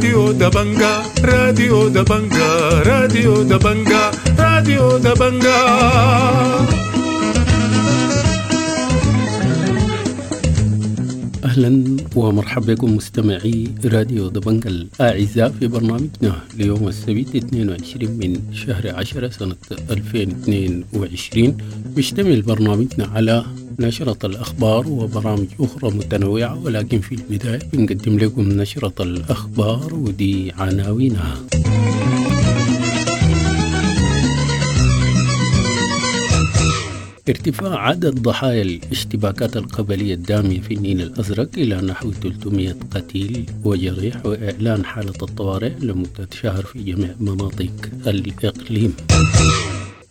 راديو دبنجا، راديو دبنجا، راديو دبنجا، راديو دبنجا. أهلا ومرحبا بكم مستمعي راديو دبنجا الأعزاء في برنامجنا ليوم السبت 22 من شهر 10 سنة 2022. بيشتمل برنامجنا على نشرة الأخبار وبرامج أخرى متنوعة، ولكن في البداية بنقدم لكم نشرة الأخبار ودي عناوينها. ارتفاع عدد ضحايا الاشتباكات القبلية الدامية في النيل الأزرق إلى نحو 300 قتيل وجريح، وإعلان حالة الطوارئ لمدة شهر في جميع مناطق الإقليم.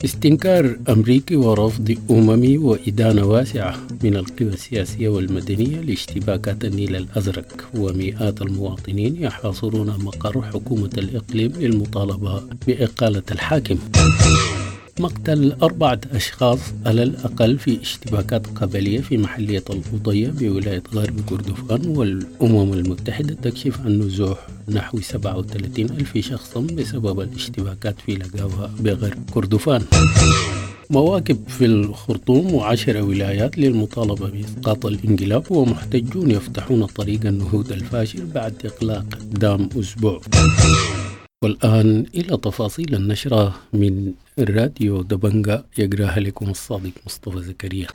استنكار أمريكي ورفض أممي وإدانة واسعة من القوى السياسية والمدنية لاشتباكات النيل الأزرق، ومئات المواطنين يحاصرون مقر حكومة الإقليم للمطالبة بإقالة الحاكم. مقتل 4 أشخاص على الأقل في اشتباكات قبلية في محلية الأضية بولاية غرب كردفان، والأمم المتحدة تكشف عن نزوح نحو 37 ألف شخص بسبب الاشتباكات في لقاوة بغرب كردفان. مواكب في الخرطوم و10 ولايات للمطالبة بإسقاط الانقلاب، ومحتجون يفتحون طريق النهوض الفاشل بعد إغلاق دام أسبوع. والآن إلى تفاصيل النشرة من راديو دبنجا، يقراها لكم الصادق مصطفى زكريا.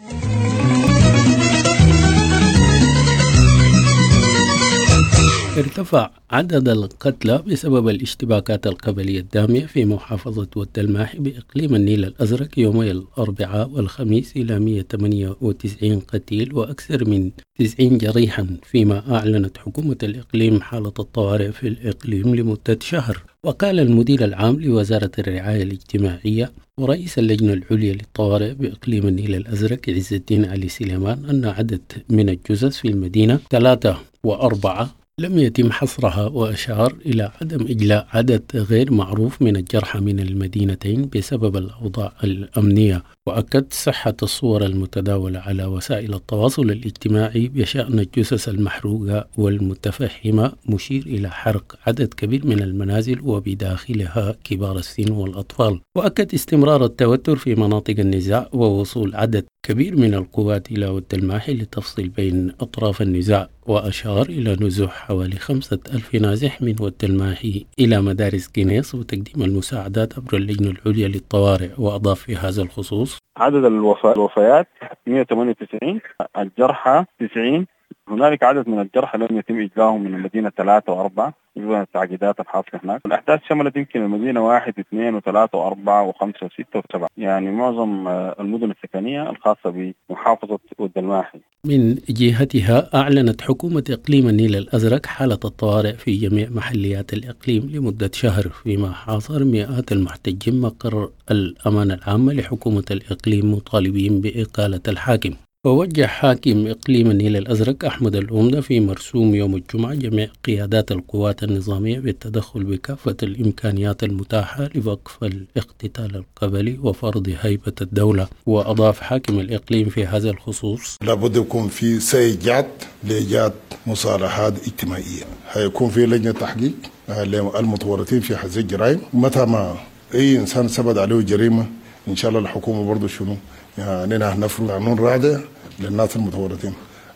ارتفع عدد القتلى بسبب الاشتباكات القبلية الدامية في محافظة ود الماحي بإقليم النيل الأزرق يومي الأربعاء والخميس إلى 198 قتيل وأكثر من 90 جريحا، فيما أعلنت حكومة الإقليم حالة الطوارئ في الإقليم لمدة شهر. وقال المدير العام لوزارة الرعاية الاجتماعية ورئيس اللجنة العليا للطوارئ بإقليم النيل الأزرق عز الدين علي سليمان أن عدد من الجثث في المدينة 3 و4 لم يتم حصرها، وأشار إلى عدم إجلاء عدد غير معروف من الجرحى من المدينتين بسبب الأوضاع الأمنية. وأكد صحة الصور المتداولة على وسائل التواصل الاجتماعي بشأن الجثث المحروقة والمتفحمة، مشير إلى حرق عدد كبير من المنازل وبداخلها كبار السن والأطفال. وأكد استمرار التوتر في مناطق النزاع ووصول عدد كبير من القوات إلى ود الماحي للتفصيل بين أطراف النزاع، وأشار إلى نزوح حوالي 5000 نازح من ود الماحي إلى مدارس كنيس وتقديم المساعدات عبر اللجنة العليا للطوارئ. وأضاف في هذا الخصوص: عدد الوفيات 198، الجرحى 90، هنالك عدد من الجرحى لم يتم إجلاهم من المدينة 3 و4 بسبب التعقيدات الحاصلة هناك. الأحداث شملت يمكن المدينة 1 و2 و3 و4 و5 و6 و7، يعني معظم المدن السكنية الخاصة بمحافظة ود الماحي. من جهتها أعلنت حكومة إقليم النيل الأزرق حالة الطوارئ في جميع محليات الإقليم لمدة شهر، فيما حاصر مئات المحتجين مقر الأمانة العامة لحكومة الإقليم مطالبين بإقالة الحاكم. ووجه حاكم إقليم النيل الأزرق أحمد الأمدة في مرسوم يوم الجمعة جميع قيادات القوات النظامية بالتدخل بكافة الإمكانيات المتاحة لوقف الاقتتال القبلي وفرض هيبة الدولة. وأضاف حاكم الإقليم في هذا الخصوص: لابد يكون في سيجات لإيجاد مصالحات اجتماعية، هيكون في لجنة تحقيق للمتورطين في هذه الجرائم. متى ما أي إنسان ثبت عليه جريمة إن شاء الله الحكومة برضو شنو يعني نفرض قانون رادع للناس المتورطين.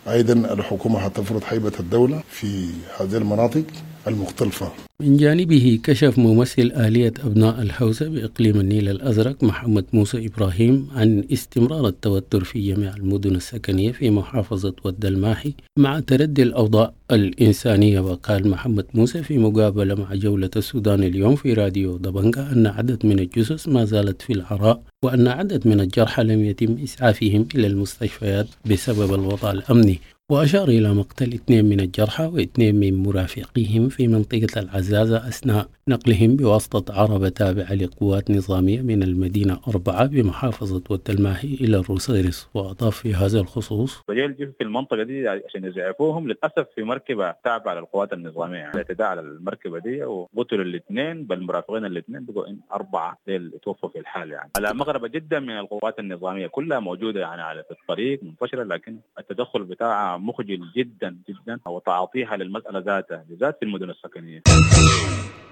أيضا الحكومة هتفرض هيبة الدولة في هذه المناطق المختلفة. من جانبه كشف ممثل آلية أبناء الحوزة بإقليم النيل الأزرق محمد موسى إبراهيم عن استمرار التوتر في جميع المدن السكنية في محافظة ود الماحي مع تردي الأوضاع الإنسانية. وقال محمد موسى في مقابلة مع جولة السودان اليوم في راديو دبنجا أن عدد من الجثث ما زالت في العراء، وأن عدد من الجرحى لم يتم إسعافهم إلى المستشفيات بسبب الوضع الأمني. وأشار إلى مقتل 2 من الجرحى و2 من مرافقيهم في منطقة العزاء الرذاذة أثناء نقلهم بواسطة عربة تابعة لقوات نظامية من المدينة 4 بمحافظة ود الماحي إلى الروصيرص. وأضاف في هذا الخصوص: فجيل في المنطقة دي عشان يزعفوهم، للأسف في مركبة تابعة للقوات النظامية يعني اعتداء على المركبة دي وقتلوا الاثنين، بل مرافقين الاثنين بقوا 4 ديل توفوا في الحال يعني. على مغربة جدا من القوات النظامية كلها موجودة يعني على الطريق منتشرة، لكن التدخل بتاعها مخجل جدا جدا وتعاطيها للمسألة ذاتها بالذات في المدن السكنية.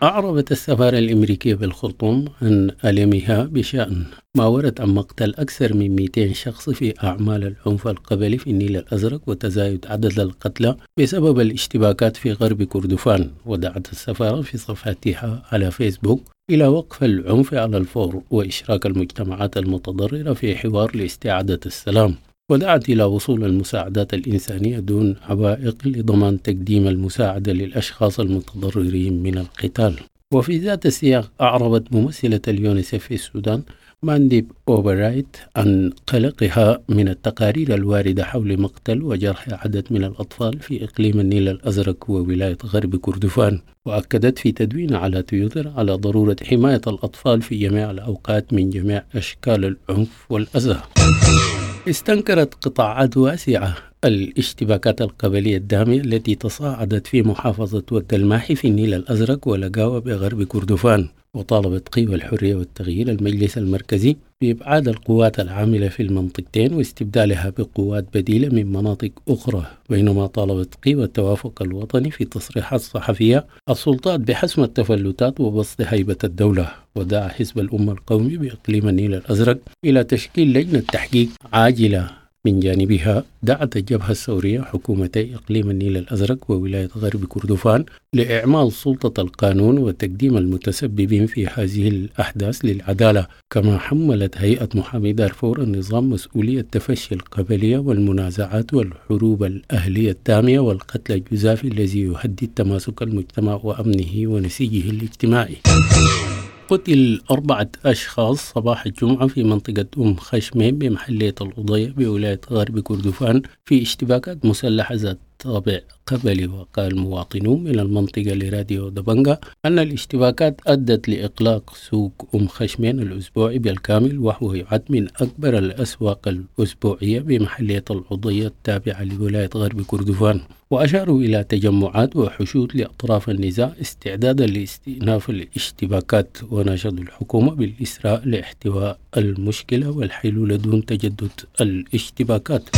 أعربت السفارة الأمريكية بالخرطوم عن ألمها بشأن ما ورد عن مقتل أكثر من 200 شخص في أعمال العنف القبلي في النيل الأزرق وتزايد عدد القتلى بسبب الاشتباكات في غرب كردفان. ودعت السفارة في صفحتها على فيسبوك إلى وقف العنف على الفور وإشراك المجتمعات المتضررة في حوار لاستعادة السلام، ودعت إلى وصول المساعدات الإنسانية دون عوائق لضمان تقديم المساعدة للأشخاص المتضررين من القتال. وفي ذات السياق أعربت ممثلة اليونيسف في السودان مانديب أوبرايت عن قلقها من التقارير الواردة حول مقتل وجرح عدد من الأطفال في إقليم النيل الأزرق وولاية غرب كردفان، وأكدت في تدوين على تويتر على ضرورة حماية الأطفال في جميع الأوقات من جميع أشكال العنف والأذى. استنكرت قطاعات واسعة الاشتباكات القبلية الدامية التي تصاعدت في محافظة ود الماحي في النيل الأزرق ولقاوة بغرب كردفان، وطالبت قوى الحرية والتغيير المجلس المركزي بإبعاد القوات العاملة في المنطقتين واستبدالها بقوات بديلة من مناطق أخرى، بينما طالبت قوى التوافق الوطني في تصريحات صحفية السلطات بحسم التفلتات وبسط هيبة الدولة. ودعا حزب الأمة القومي بإقليم النيل الأزرق إلى تشكيل لجنة تحقيق عاجلة. من جانبها دعت الجبهة الثورية حكومتي إقليم النيل الأزرق وولاية غرب كردفان لإعمال سلطة القانون وتقديم المتسببين في هذه الأحداث للعدالة. كما حملت هيئة محامي دارفور النظام مسؤولية تفشي القبلية والمنازعات والحروب الأهلية الدامية والقتل الجزافي الذي يهدد تماسك المجتمع وأمنه ونسيجه الاجتماعي. قتل 4 أشخاص صباح الجمعة في منطقة أم خشمين بمحلية الأضية بولاية غرب كردفان في اشتباكات مسلحة ذات طابع قبلي. وقال مواطنون من المنطقة لراديو دبنجا أن الاشتباكات أدت لإغلاق سوق أم خشمين الأسبوعي بالكامل، وهو يعد من أكبر الأسواق الأسبوعية بمحلية العضية التابعة لولاية غرب كردفان. وأشاروا إلى تجمعات وحشود لأطراف النزاع استعدادا لاستئناف الاشتباكات، وناشدوا الحكومة بالإسراء لاحتواء المشكلة والحلول دون تجدد الاشتباكات.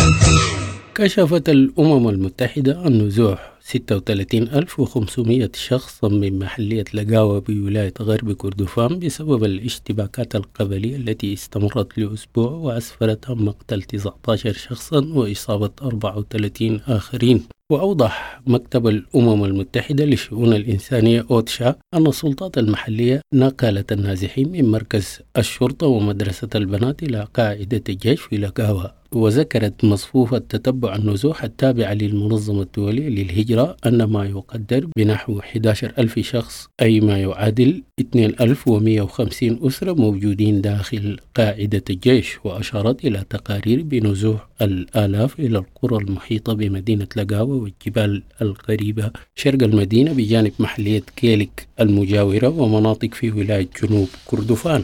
كشفت الأمم المتحدة عن نزوح 36,500 شخصا من محلية لقاوة بولاية غرب كردفان بسبب الاشتباكات القبلية التي استمرت لأسبوع وأسفرت عن مقتل 19 شخصا وإصابة 34 آخرين. وأوضح مكتب الأمم المتحدة للشؤون الإنسانية أوتشا أن السلطات المحلية نقلت النازحين من مركز الشرطة ومدرسة البنات إلى قاعدة الجيش في لقاوة. وذكرت مصفوفة تتبع النزوح التابعة للمنظمة الدولية للهجرة أن ما يقدر بنحو 11,000 شخص، أي ما يعادل 2,150 أسرة موجودين داخل قاعدة الجيش. وأشارت إلى تقارير بنزوح الآلاف إلى القرى المحيطة بمدينة لقاوة والجبال القريبة شرق المدينة بجانب محلية كيلك المجاورة ومناطق في ولاية جنوب كردفان.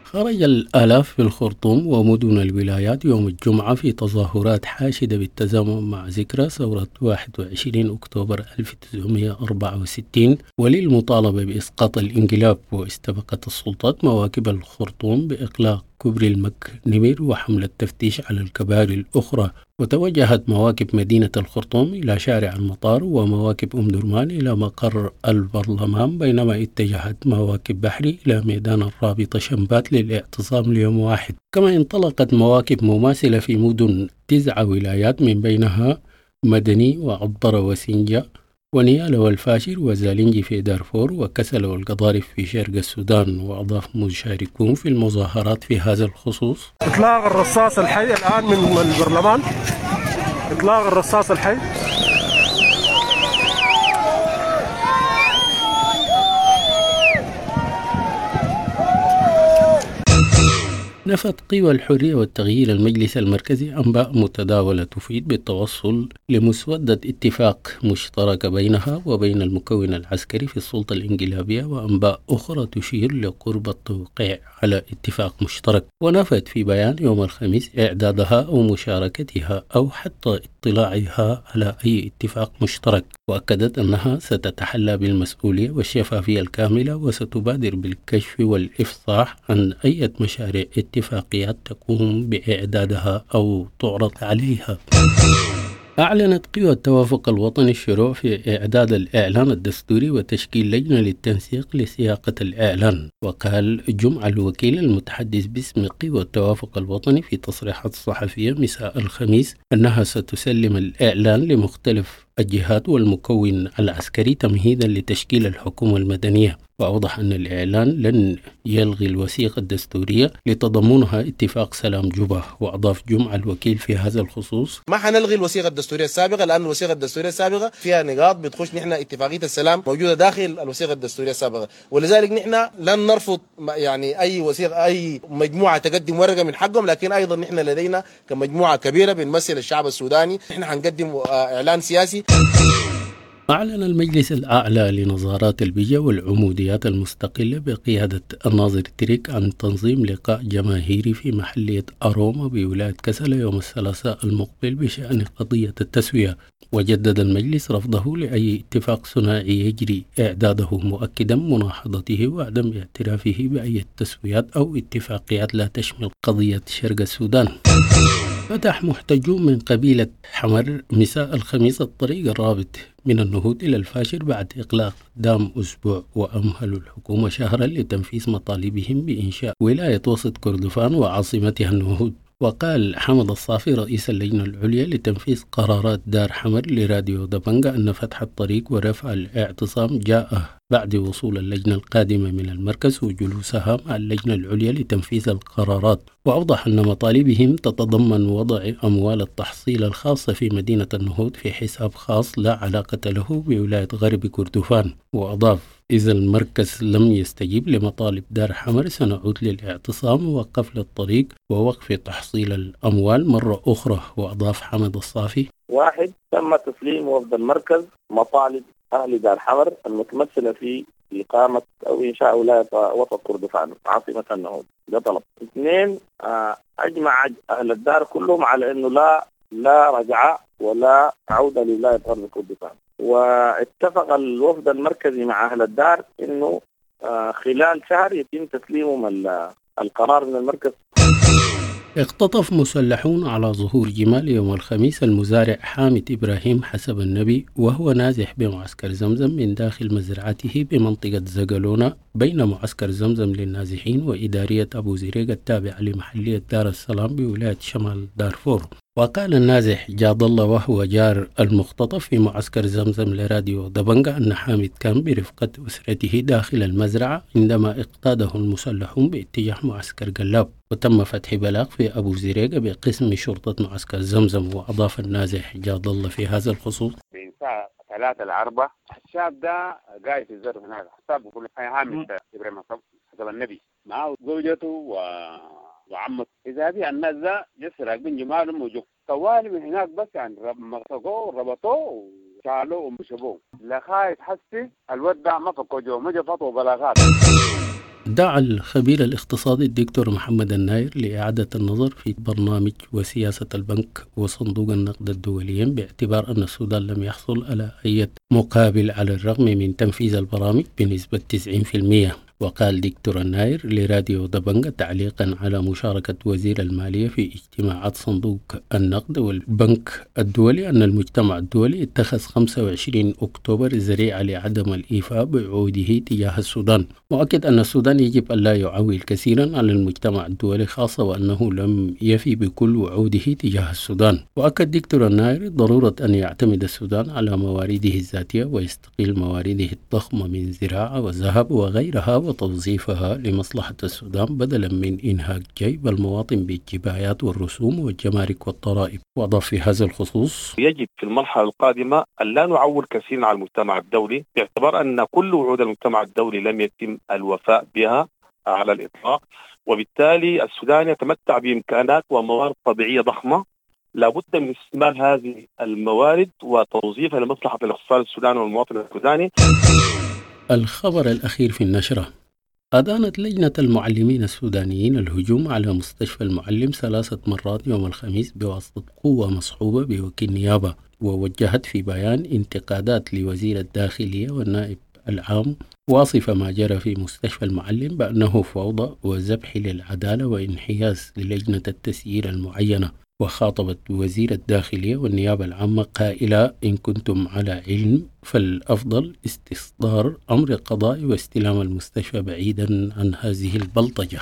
خرج الآلاف في الخرطوم ومدن الولايات يوم الجمعة في تظاهرات حاشدة بالتزامن مع ذكرى ثورة 21 أكتوبر 1964 وللمطالبة بإسقاط الانقلاب. واستبقت السلطات مواكب الخرطوم بإغلاق كوبري المك نمر وحملة تفتيش على الكباري الأخرى. وتوجهت مواكب مدينة الخرطوم إلى شارع المطار ومواكب أم درمان إلى مقر البرلمان، بينما اتجهت مواكب بحري إلى ميدان الرابطة شمبات للاعتصام ليوم واحد. كما انطلقت مواكب مماثلة في مدن 9 ولايات من بينها مدني وعبرة وسنجة ونيالا والفاشر وزالنجي في دارفور وكسل والقضارف في شرق السودان. وأضاف مشاركون في المظاهرات في هذا الخصوص: إطلاق الرصاص الحي الآن من البرلمان، إطلاق الرصاص الحي. نفت قوى الحرية والتغيير المجلس المركزي أنباء متداولة تفيد بالتوصل لمسودة اتفاق مشترك بينها وبين المكون العسكري في السلطة الانقلابية، وأنباء أخرى تشير لقرب التوقيع على اتفاق مشترك. ونفت في بيان يوم الخميس إعدادها أو مشاركتها أو حتى اطلاعها على أي اتفاق مشترك، وأكدت أنها ستتحلى بالمسؤولية والشفافية الكاملة وستبادر بالكشف والإفصاح عن أي مشاريع اتفاقيات تقوم بإعدادها أو تعرض عليها. أعلنت قوى التوافق الوطني الشروع في إعداد الإعلان الدستوري وتشكيل لجنة للتنسيق لسياقة الإعلان. وقال جمعة الوكيل المتحدث باسم قوى التوافق الوطني في تصريحات صحفية مساء الخميس أنها ستسلم الإعلان لمختلف الجهات والمكون العسكري تمهيدا لتشكيل الحكومة المدنية. وأوضح أن الإعلان لن يلغي الوثيقة الدستورية لتضمنها اتفاق سلام جوبا. وأضاف جمعة الوكيل في هذا الخصوص: ما حنلغي الوثيقة الدستورية السابقة، لأن الوثيقة الدستورية السابقة فيها نقاط بتخش نحن اتفاقية السلام موجودة داخل الوثيقة الدستورية السابقة، ولذلك نحن لن نرفض يعني أي وثيقة أي مجموعة تقدم ورقة من حقهم، لكن أيضا نحن لدينا كمجموعة كبيرة بنمثل الشعب السوداني نحن حنقدم إعلان سياسي. أعلن المجلس الأعلى لنظارات البيئة والعموديات المستقلة بقيادة الناظر تريك عن تنظيم لقاء جماهيري في محلية أروما بولاية كسلا يوم الثلاثاء المقبل بشأن قضية التسوية. وجدد المجلس رفضه لأي اتفاق ثنائي يجري إعداده، مؤكدا مناهضته وعدم اعترافه بأي تسويات أو اتفاقيات لا تشمل قضية شرق السودان. فتح محتجون من قبيلة حمر مساء الخميس الطريق الرابط من النهوض إلى الفاشر بعد إغلاق دام أسبوع، وأمهلوا الحكومة شهرا لتنفيذ مطالبهم بإنشاء ولاية وسط كردفان وعاصمتها النهوض. وقال حمد الصافي رئيس اللجنة العليا لتنفيذ قرارات دار حمر لراديو دبنجة أن فتح الطريق ورفع الاعتصام جاء بعد وصول اللجنة القادمة من المركز وجلوسها مع اللجنة العليا لتنفيذ القرارات. وأوضح أن مطالبهم تتضمن وضع أموال التحصيل الخاصة في مدينة النهوض في حساب خاص لا علاقة له بولاية غرب كردفان. وأضاف: إذا المركز لم يستجيب لمطالب دار حمر سنعود للاعتصام وقفل الطريق ووقف تحصيل الأموال مرة أخرى. وأضاف حمد الصافي: واحد، تم تسليم وفد المركز مطالب أهل دار حمر المتمثلة في إقامة أو إنشاء ولاية وسط كردفان عاصمة النهوض، ده طلب. اثنين، أجمع أهل الدار كلهم على أنه لا رجعة ولا عودة لولاية غرب كردفان، واتفق الوفد المركزي مع أهل الدار أنه خلال شهر يتم تسليمهم القرار من المركز. اختطف مسلحون على ظهور جمال يوم الخميس المزارع حامد إبراهيم حسب النبي وهو نازح بمعسكر زمزم من داخل مزرعته بمنطقة زقلونة بين معسكر زمزم للنازحين وإدارية أبو زريق التابعة لمحلية دار السلام بولاية شمال دارفور. وقال النازح جاد الله وهو جار المختطف في معسكر زمزم لراديو دبنجة أن حامد كان برفقة أسرته داخل المزرعة عندما اقتاده المسلحون باتجاه معسكر قلاب، وتم فتح بلاغ في أبو زريقة بقسم شرطة معسكر زمزم. وأضاف النازح جاد الله في هذا الخصوص: بين الساعة 3 ل4 الشاب ده قاعد في الزرع هناك، حساب كل حامد إبراهيم حسب النبي معه زوجته وعمته. إذا بي الناس ده جس راكبين جمالهم وجو طوالي من هناك، بس يعني مسكوه وربطوه وشالوه ومشبوه لغاية حسي الود ده ما فكوا جو ما فتوى بلاغات. دعا الخبير الاقتصادي الدكتور محمد الناير لإعادة النظر في برنامج وسياسة البنك وصندوق النقد الدوليين باعتبار أن السودان لم يحصل على أي مقابل على الرغم من تنفيذ البرامج بنسبة 90%. وقال دكتور الناير لراديو دبنجة تعليقا على مشاركة وزير المالية في اجتماعات صندوق النقد والبنك الدولي أن المجتمع الدولي اتخذ 25 أكتوبر ذريعة لعدم الإيفاء بوعوده تجاه السودان، وأكد أن السودان يجب أن لا يعول كثيرا على المجتمع الدولي خاصة وأنه لم يفي بكل وعوده تجاه السودان. وأكد دكتور الناير ضرورة أن يعتمد السودان على موارده الذاتية ويستقل موارده الضخمة من زراعة وذهب وغيرها وتوظيفها لمصلحة السودان بدلا من إنهاك جيب المواطن بالجبايات والرسوم والجمارك والضرائب. وأضاف في هذا الخصوص: يجب في المرحلة القادمة أن لا نعول كثيرا على المجتمع الدولي باعتبار أن كل وعود المجتمع الدولي لم يتم الوفاء بها على الإطلاق، وبالتالي السودان يتمتع بإمكانات وموارد طبيعية ضخمة، لابد من استثمار هذه الموارد وتوظيفها لمصلحة الاقتصاد السوداني والمواطن السوداني. الخبر الأخير في النشرة: أدانت لجنة المعلمين السودانيين الهجوم على مستشفى المعلم 3 مرات يوم الخميس بواسطة قوة مصحوبة بوكيل نيابة، ووجهت في بيان انتقادات لوزير الداخلية والنائب العام، واصفة ما جرى في مستشفى المعلم بأنه فوضى وذبح للعدالة وانحياز للجنة التسيير المعينة. وخاطبت وزير الداخلية والنيابة العامة قائلة: إن كنتم على علم فالأفضل استصدار أمر قضائي واستلام المستشفى بعيدا عن هذه البلطجة.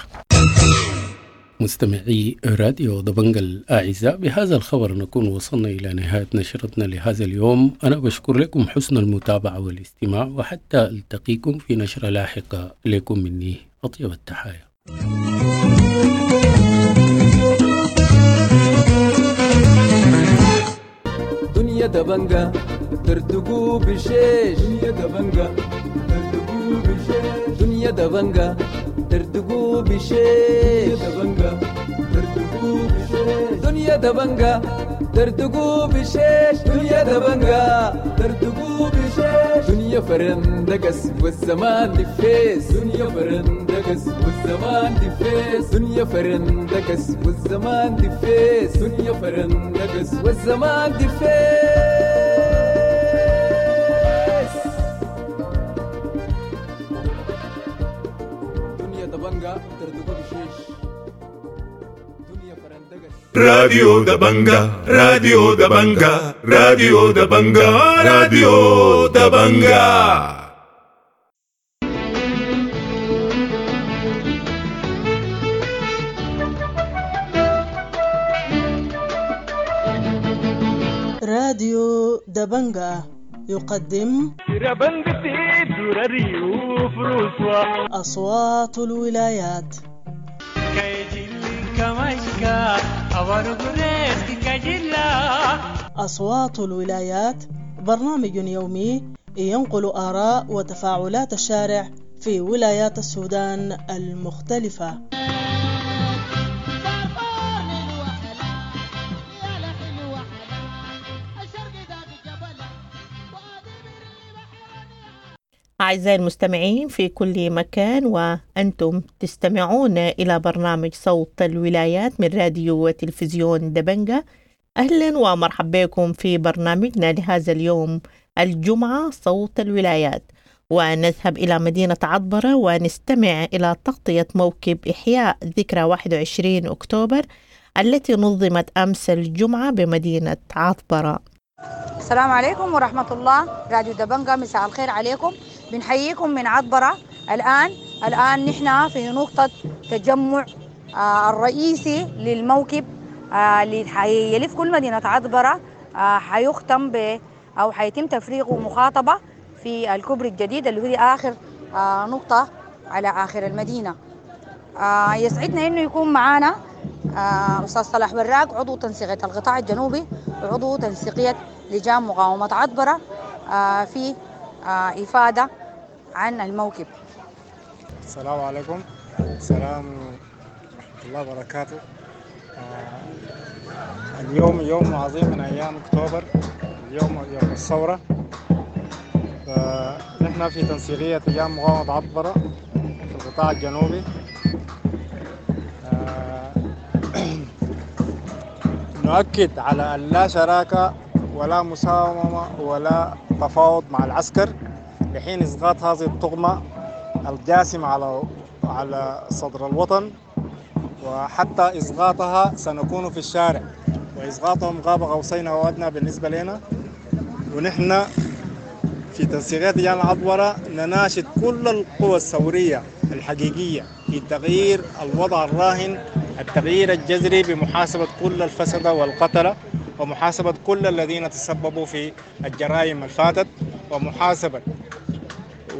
مستمعي راديو دبنجا الأعزاء، بهذا الخبر نكون وصلنا إلى نهاية نشرتنا لهذا اليوم. أنا بشكر لكم حسن المتابعة والاستماع، وحتى ألتقيكم في نشرة لاحقة، لكم مني أطيب التحايا. دنيا دبنجا ترتقو بشيش، دنيا دبنجا ترتقو بشيش، دنيا دبنجا ترتقو بشيش، دبنجا ترتقو بشيش، دنيا دبنجا ترتقو بشيش، دنيا دبنجا ترتقو بشيش، دنيا فرندقس والزمان دفيس، دنيا فرندقس والزمان دفيس، دنيا فرندقس والزمان دفيس، دنيا فرندقس والزمان دفيس. دنيا دبنجا ترتقو بشيش، راديو دبنجا، راديو دبنجا، راديو دبنجا، راديو دبنجا. راديو دبنجا يقدم أصوات الولايات. أصوات الولايات برنامج يومي ينقل آراء وتفاعلات الشارع في ولايات السودان المختلفة. أعزائي المستمعين في كل مكان، وأنتم تستمعون إلى برنامج صوت الولايات من راديو وتلفزيون دبنجا. أهلا ومرحبا بكم في برنامجنا لهذا اليوم الجمعة صوت الولايات، ونذهب إلى مدينة عطبرة ونستمع إلى تغطية موكب إحياء ذكرى 21 أكتوبر التي نظمت أمس الجمعة بمدينة عطبرة. السلام عليكم ورحمة الله، راديو دبنجا مساء الخير عليكم، بنحييكم من عطبرة. الآن نحن في نقطة تجمع الرئيسي للموكب اللي حيلف كل مدينة عطبرة، حيختم ب أو حيتم تفريغه مخاطبة في الكوبري الجديد اللي هو آخر نقطة على آخر المدينة. يسعدنا إنه يكون معانا أستاذ صلاح وراق، عضو تنسيقية القطاع الجنوبي وعضو تنسيقية لجان مقاومة عطبرة، في إفادة عن الموكب. السلام عليكم، السلام ورحمة الله وبركاته. اليوم يوم عظيم من أيام أكتوبر، اليوم يوم الثورة. نحن في تنسيقية لجان مقاومة عطبرة في القطاع الجنوبي نؤكد على أن لا شراكة ولا مساومة ولا تفاوض مع العسكر لحين إسقاط هذه الطغمة الجاثمة على صدر الوطن، وحتى إسقاطها سنكون في الشارع، وإسقاطهم غاب قوسين أو أدنى بالنسبة لنا. ونحن في تنسيقية لجان عطبرة نناشد كل القوى الثورية الحقيقية في تغيير الوضع الراهن، التغيير الجذري بمحاسبة كل الفسدة والقتلة، ومحاسبة كل الذين تسببوا في الجرائم الفاتت، ومحاسبة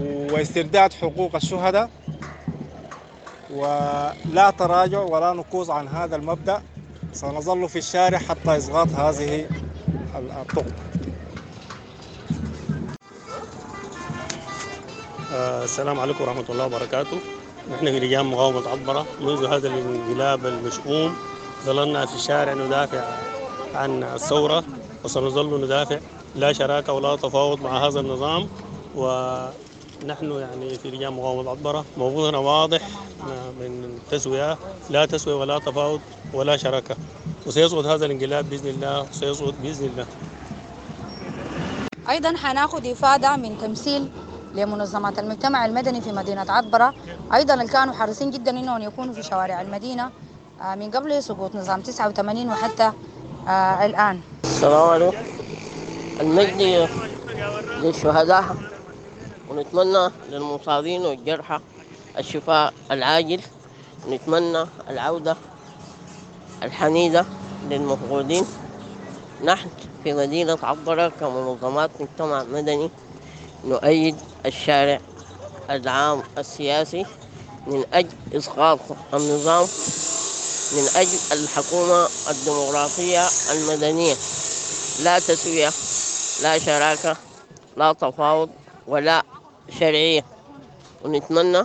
واسترداد حقوق الشهداء، ولا تراجع ولا نكوص عن هذا المبدأ. سنظل في الشارع حتى إسقاط هذه الطغمة. السلام عليكم ورحمة الله وبركاته. نحن في لجان مقاومة عطبرة منذ هذا الانقلاب المشؤوم ظللنا في الشارع ندافع عن الثورة، وسنظل ندافع، لا شراكة ولا تفاوض مع هذا النظام. ونحن يعني في لجان مقاومة عطبرة موقفنا واضح من تسوية، لا تسوية ولا تفاوض ولا شراكة، وسيسقط هذا الانقلاب بإذن الله، سيسقط بإذن الله. أيضا حناخد إفادة من تمثيل لمنظمات المجتمع المدني في مدينة عطبرة، أيضا اللي كانوا حريصين جدا أنهم يكونوا في شوارع المدينة من قبل سقوط نظام 89 وحتى الآن. السلام عليكم. المجد للشهداء، ونتمنى للمصابين والجرحى الشفاء العاجل، ونتمنى العودة الحميدة للمفقودين. نحن في مدينة عطبرة كمنظمات مجتمع مدني نؤيد الشارع العام السياسي من أجل إسقاط النظام، من أجل الحكومة الديمقراطية المدنية. لا تسوية، لا شراكة، لا تفاوض، ولا شرعية. ونتمنى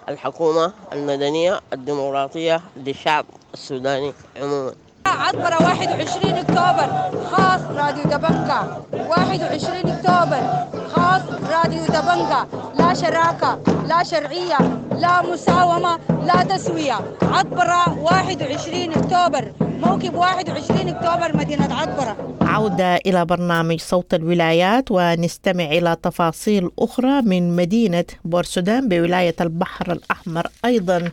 الحكومة المدنية الديمقراطية للشعب السوداني عموما. عطبرة 21 أكتوبر خاص راديو دبنجا، 21 أكتوبر خاص راديو دبنجا. لا شراكة، لا شرعية، لا مساومة، لا تسوية. عطبرة 21 أكتوبر، موكب 21 أكتوبر مدينة عطبرة. عودة إلى برنامج صوت الولايات، ونستمع إلى تفاصيل أخرى من مدينة بورسودان بولاية البحر الأحمر أيضا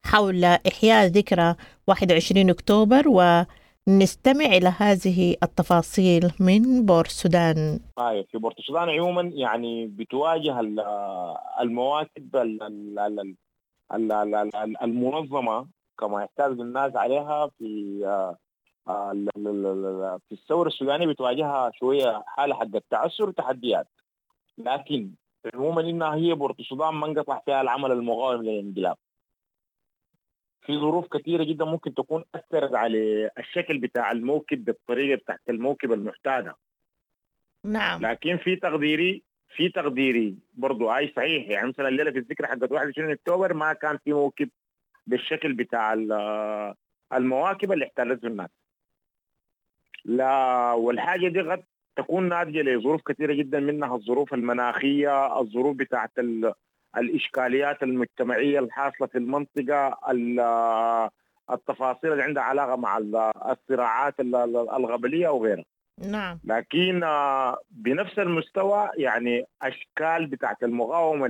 حول إحياء ذكرى 21 أكتوبر، ونستمع إلى هذه التفاصيل من بورسودان. طيب، في بورسودان عموما يعني بتواجه المواكب المنظمة كما يحتاج الناس عليها في الثورة السودانية، بتواجهها شوية حالة حق التعثر وتحديات، لكن عموما إنها هي بورسودان ما انقطع فيها العمل المقاوم للانقلاب. في ظروف كثيرة جدا ممكن تكون أثرت على الشكل بتاع الموكب بالطريقة بتاعت الموكب المعتادة. نعم. لكن في تقديري برضو أي صحيح، يعني مثلا الليلة في الذكرى حقت 21 أكتوبر ما كان في موكب بالشكل بتاع المواكب اللي احتلته الناس. لا، والحاجة دي قد تكون ناتجة لظروف كثيرة جدا، منها الظروف المناخية، الظروف بتاعت الإشكاليات المجتمعية الحاصلة في المنطقة، التفاصيل اللي عندها علاقة مع الصراعات الغبلية وغيرها. نعم. لكن بنفس المستوى يعني أشكال بتاعت المقاومة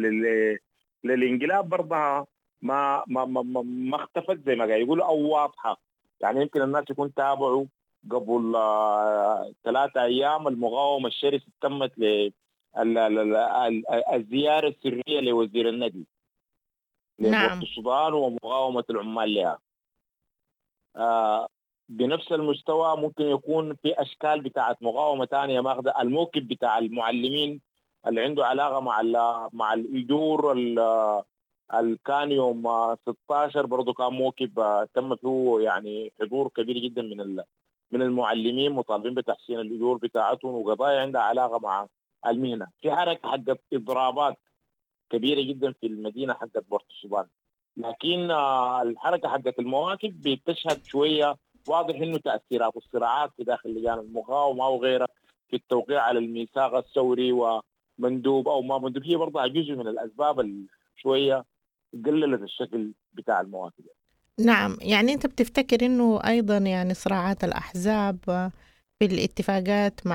للانقلاب برضها ما ما ما ما اختفت زي ما قاعد يقولوا أو واضحة. يعني يمكن الناس يكون تابعوا قبل 3 أيام المقاومة الشرسة تمت الزيارة السرية لوزير النقل نعم السودان ومقاومة العمال لها. بنفس المستوى ممكن يكون في أشكال بتاعت مقاومة تانية ماخذة الموكب بتاع المعلمين اللي عنده علاقة مع الأجور اللي كان يوم 16 برضو كان موكب تم فيه يعني حضور كبير جدا من المعلمين مطالبين بتحسين الأجور بتاعتهم وقضايا عندها علاقة مع المهنة. في حركة حقت إضرابات كبيرة جدا في المدينة حقت بورتسودان، لكن الحركة حقت المواكب بتشهد شوية واضح إنه تأثيرات الصراعات في داخل لجان المقاومة وغيرها في التوقيع على الميثاق الثوري ومندوب أو ما مندوب هي برضها جزء من الأسباب شوية قللت الشكل بتاع المواكب. نعم، يعني أنت بتفتكر إنه أيضا يعني صراعات الأحزاب في الاتفاقات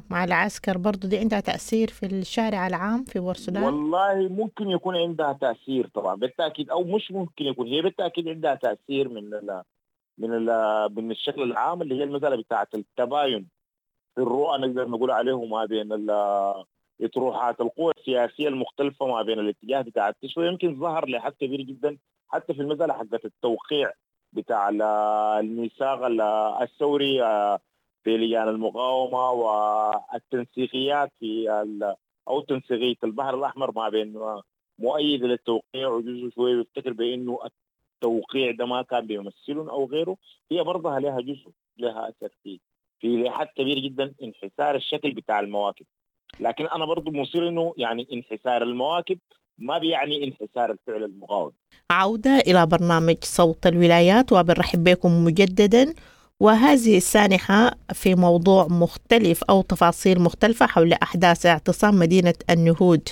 مع العسكر برضو دي عندها تأثير في الشارع العام في بورسودان؟ والله ممكن يكون عندها تأثير طبعا بالتأكيد، أو مش ممكن يكون، هي بالتأكيد عندها تأثير من الشكل العام اللي هي المسألة بتاعة التباين في الرؤى نقدر نقول عليه ما بين اطروحات القوى السياسية المختلفة ما بين الاتجاه بتاع التشويه. يمكن ظهر لحد كبير جدا حتى في المسألة حقت التوقيع بتاع الميثاق الثوري في لجان المقاومة والتنسيقيات في أو تنسيقية البحر الأحمر ما بين مؤيد للتوقيع وجزء شوية بيفتكر بأنه التوقيع ده ما كان بيمثلهم أو غيره. هي برضها لها جزء، لها أثر في لحد كبير جدا انحسار الشكل بتاع المواكب. لكن أنا برضو مصير إنه يعني انحسار المواكب ما بيعني انحسار الفعل المقاوم. عودة إلى برنامج صوت الولايات، وبنرحب بكم مجددا، وهذه السانحة في موضوع مختلف أو تفاصيل مختلفة حول أحداث اعتصام مدينة النهود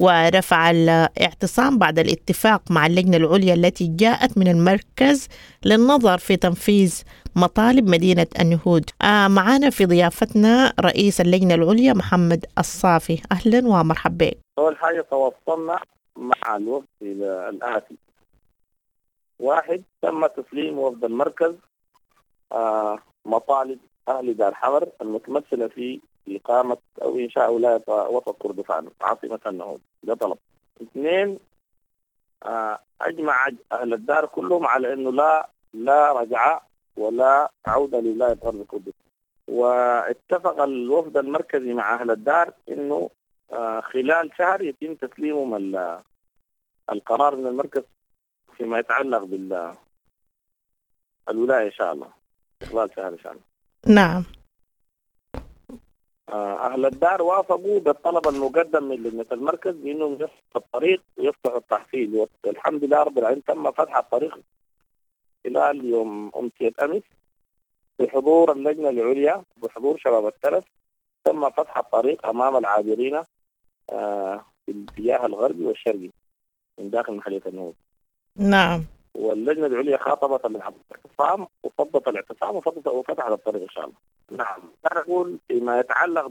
ورفع الاعتصام بعد الاتفاق مع اللجنة العليا التي جاءت من المركز للنظر في تنفيذ مطالب مدينة النهود. معنا في ضيافتنا رئيس اللجنة العليا محمد الصافي، أهلا ومرحبا بك. أول حاجة تواصلنا مع الوفد إلى الآتي: واحد، تم تسليم وفد المركز مطالب أهل دار حمر المتمثلة في إقامة أو إنشاء ولاية وسط كردفان عاصمة النهود، ده طلب. اثنين، أجمع أهل الدار كلهم على أنه لا رجعة ولا عودة لولاية غرب كردفان، واتفق الوفد المركزي مع أهل الدار أنه خلال شهر يتم تسليمهم القرار من المركز فيما يتعلق بالولاية إن شاء الله خلال شهر إن شاء الله. نعم. أهل الدار وافقوا بالطلب المقدم من لجنة المركز بأنهم يفتحوا الطريق ويفتحوا التحصيل، والحمد لله رب العالمين تم فتح الطريق خلال يوم أمسية أمس بحضور اللجنة العليا بحضور شباب الترف. تم فتح الطريق أمام العابرين في الاتجاه الغربي والشرقي من داخل محلية النهود. نعم. واللجنة العليا خاطبت الاعتصام وفضت الاعتصام وفتحت الطريق إن شاء الله. نعم. أنا أقول فيما يتعلق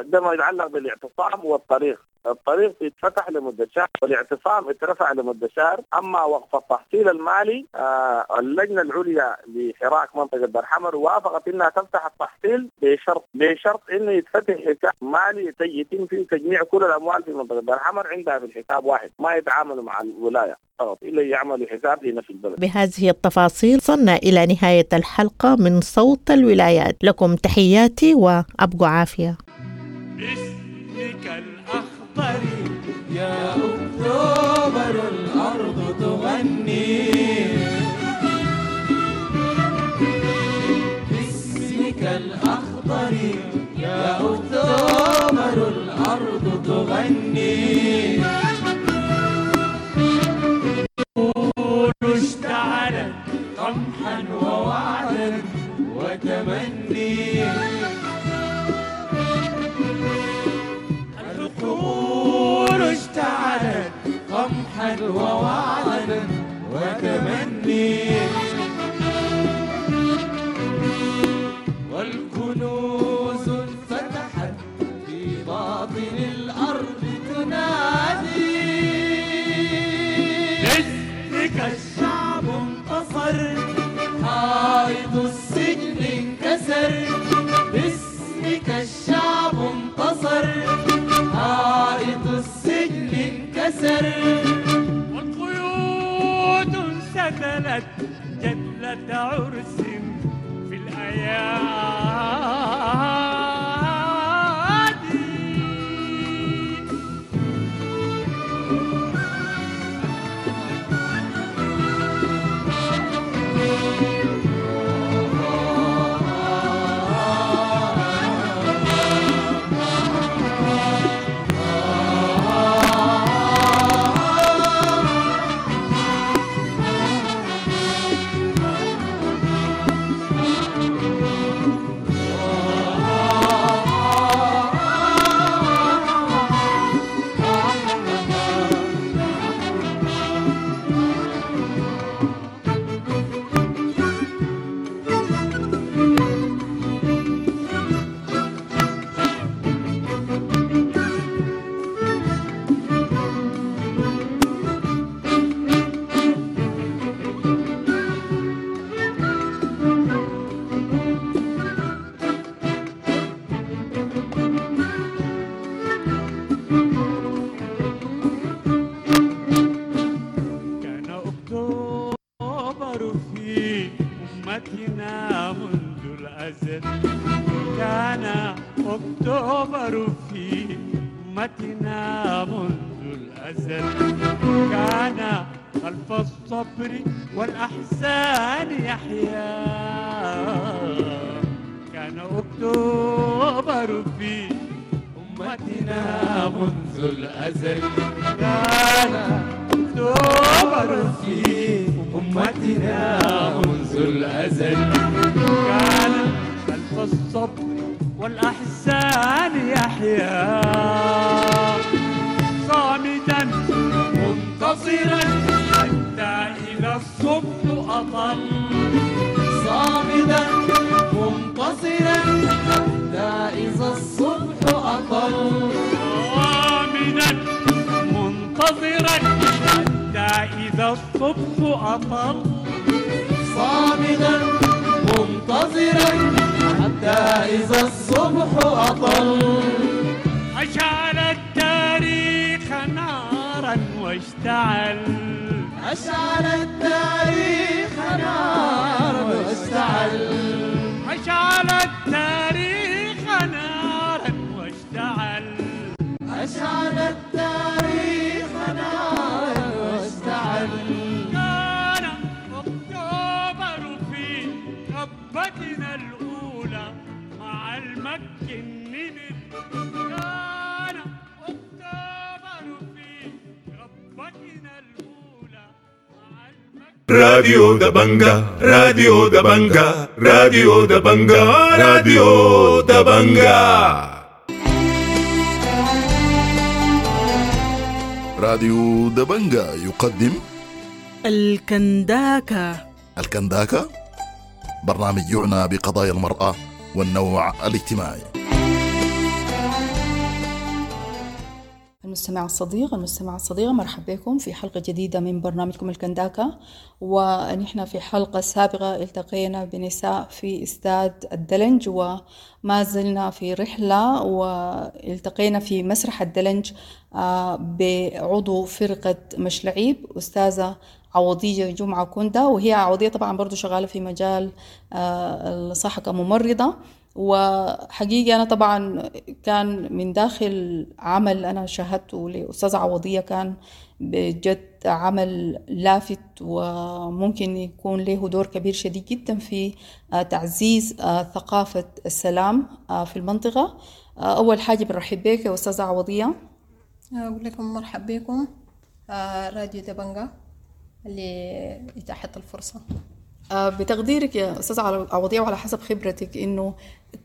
ده ما يتعلق بالاعتصام والطريق. الطريق يتفتح لمدة شهر والاعتصام اترفع لمدة شهر. أما وقف التحصيل المالي اللجنة العليا لحراك منطقة دار حمر وافقت إنها تفتح التحصيل بشرط إنه يتفتح حساب مالي يتم فيه تجميع كل الأموال في منطقة دار حمر عندها في الحساب واحد، ما يتعاملوا مع الولاية فقط إلا يعملوا حساب لنفس البلد. بهذه التفاصيل وصلنا إلى نهاية الحلقة من صوت الولايات، لكم تحياتي وأبقوا عافية. باسمك الأخضر يا أكتوبر الأرض تغني، باسمك الأخضر يا أكتوبر الأرض تغني، اشتعلت قمحا ووعدا وتمني، الحقول اشتعلت قمحا ووعدا وتمني، والكنوز انفتحت في باطن الأرض تنادي، باسمك الشعب انتصر، حائط السجن انكسر، باسمك الشعب انتصر، حائط السجن انكسر، والقيود انسدلت جدلة عرس في الأيادي. كان أكتوبر في أمتنا منذ الأزل، كان خلف الصبر والأحزان يحيا، كان أكتوبر في أمتنا. أمتنا منذ الأزل، كان أكتوبر في أمتنا منذ الأزل، كان خلف الصبر والأحزان يحيا صامتا منتصرا حتى إذا الصبح أطل، صامدا منتصرا حتى إذا الصبح أطل، صامدا منتظرا حتى إذا الصبح أطل، صامدا منتظرا حتى إذا الصبح أطل. أشعل التاريخ نارا واشتعل، أشعل التاريخ نارا واشتعل، أشعل التاريخ نارا واشتعل، أشعل التاريخ نارا واشتعل. كان أكتوبر في ربتنا الأولى مع المك النمر، كان أكتوبر في ربتنا الأولى. راديو دبنجا، راديو دبنجا، راديو دبنجا، راديو دبنجا. راديو دبنجا يقدم الكنداكة. الكنداكة برنامج يعنى بقضايا المرأة والنوع الاجتماعي. المستمع الصديق، المستمع الصديقة، مرحبا بكم في حلقة جديدة من برنامجكم الكنداكة. ونحن في حلقة سابقة التقينا بنساء في استاد الدلنج، وما زلنا في رحلة، والتقينا في مسرح الدلنج بعضو فرقة مشلعيب أستاذة عوضية جمعة كوندا، وهي عوضية طبعا برضو شغالة في مجال الصحة كممرضة. وحقيقة أنا طبعا كان من داخل عمل أنا شاهدته لأستاذة عوضية، كان بجد عمل لافت وممكن يكون له دور كبير شديد جدا في تعزيز ثقافة السلام في المنطقة. أول حاجة بنرحب بك يا أستاذة عوضية. أقول لكم مرحب بكم راديو دبنجا اللي إتاحت الفرصة. بتقديرك يا أستاذة عوضية وعلى حسب خبرتك، إنه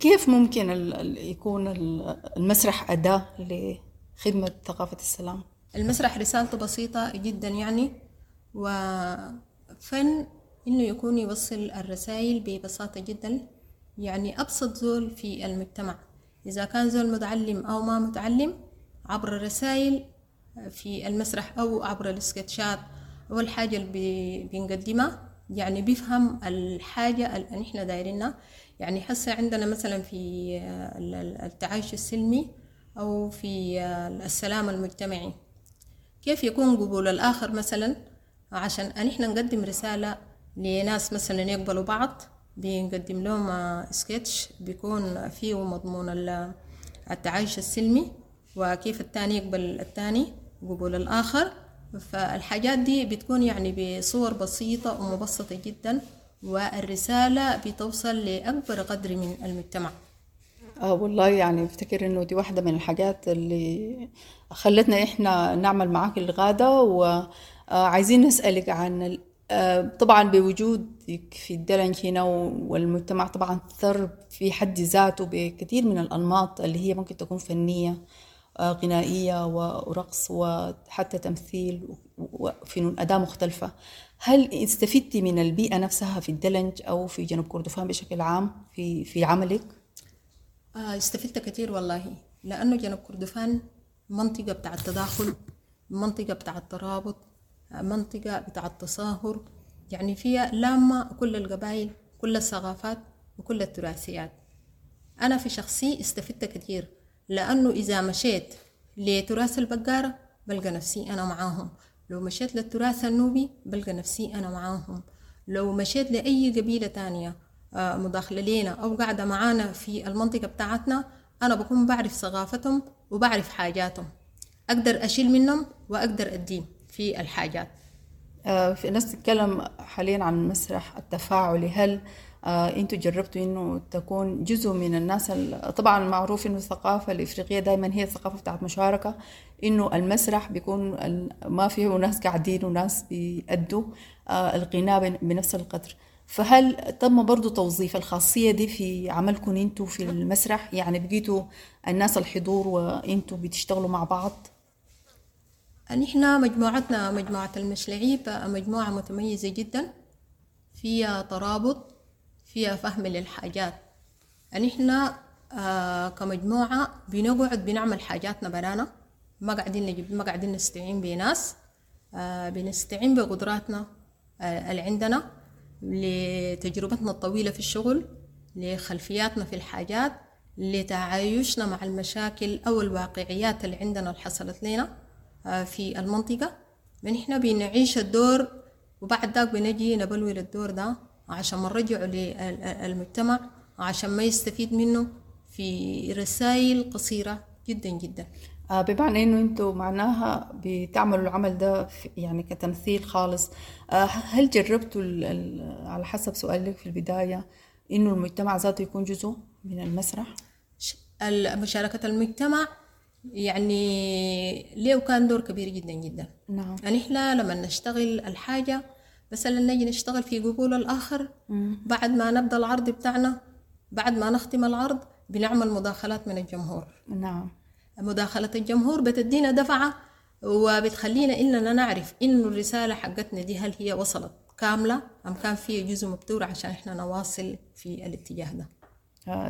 كيف ممكن يكون المسرح أداة لخدمة ثقافة السلام؟ المسرح رسالته بسيطة جدا يعني، وفن إنه يكون يوصل الرسائل ببساطة جدا، يعني أبسط زول في المجتمع إذا كان زول متعلم أو ما متعلم عبر الرسائل في المسرح أو عبر السكتشات أو الحاجة اللي بنقدمها، يعني بيفهم الحاجة اللي نحن دايرينها. يعني حسا عندنا مثلا في التعايش السلمي أو في السلام المجتمعي، كيف يكون قبول الآخر مثلا، عشان نحن نقدم رسالة لناس مثلا يقبلوا بعض، بنقدم لهم سكتش بيكون فيه مضمون التعايش السلمي وكيف الثاني يقبل الثاني، قبول الآخر. فالحاجات دي بتكون يعني بصور بسيطة ومبسطة جدا، والرسالة بتوصل لأكبر قدر من المجتمع. والله يعني افتكر انه دي واحدة من الحاجات اللي خلتنا احنا نعمل معاك الغادة. وعايزين نسألك عن طبعا بوجودك في الدلنج هنا، والمجتمع طبعا ثر في حد ذاته بكثير من الأنماط اللي هي ممكن تكون فنية، غنائية ورقص وحتى تمثيل وفنون أداء مختلفة. هل استفدتي من البيئة نفسها في الدلنج أو في جنوب كردفان بشكل عام في عملك؟ استفدت كثير والله، لأنه جنوب كردفان منطقة بتاع التداخل، منطقة بتاع الترابط، منطقة بتاع التصاهر، يعني فيها لامة كل القبائل، كل الثقافات وكل التراثيات. أنا في شخصي استفدت كثير، لأنه إذا مشيت لتراث البقارة بلقى نفسي أنا معاهم، لو مشيت للتراث النوبي بلقى نفسي أنا معاهم، لو مشيت لأي قبيلة تانية مداخلة لينا أو قاعدة معانا في المنطقة بتاعتنا، أنا بكون بعرف ثقافتهم وبعرف حاجاتهم، أقدر أشيل منهم وأقدر أديهم في الحاجات. في ناس تتكلم حاليا عن المسرح التفاعلي، هل انتوا جربتوا انه تكون جزء من الناس طبعا معروف انه الثقافة الافريقية دائما هي الثقافة بتاعت مشاركة، انه المسرح بيكون ما فيه ناس قاعدين وناس بيأدوا الغناء بنفس القدر. فهل تم برضو توظيف الخاصية دي في عملكم انتوا في المسرح؟ يعني بقيتوا الناس الحضور وانتوا بتشتغلوا مع بعض؟ نحن مجموعتنا مجموعة المشلعيب مجموعة متميزة جدا، فيها ترابط، فيها فهم للحاجات. نحن كمجموعة بنقعد بنعمل حاجاتنا برانا، ما قاعدين نجيب، ما قاعدين نستعين بناس، بنستعين بقدراتنا اللي عندنا، لتجربتنا الطويلة في الشغل، لخلفياتنا في الحاجات، لتعايشنا مع المشاكل أو الواقعيات اللي عندنا اللي حصلت لنا في المنطقة. نحن بنعيش الدور وبعد ذاك بنجي نبلور الدور ده عشان ما نرجعه للمجتمع، عشان ما يستفيد منه في رسائل قصيرة جدا جدا. بمعنى انه انتوا معناها بتعملوا العمل ده يعني كتمثيل خالص. هل جربتوا على حسب سؤالك في البداية انه المجتمع ذاته يكون جزء من المسرح؟ مشاركة المجتمع يعني ليه كان دور كبير جدا جدا. نعم. يعني احنا لما نشتغل الحاجة مثلا نجي نشتغل في قبول الآخر، بعد ما نبدأ العرض بتاعنا، بعد ما نختم العرض بنعمل مداخلات من الجمهور. نعم. مداخلة الجمهور بتدينا دفعة وبتخلينا إننا نعرف إنه الرسالة حقتنا دي هل هي وصلت كاملة أم كان فيها جزء مبتور عشان إحنا نواصل في الاتجاه ده.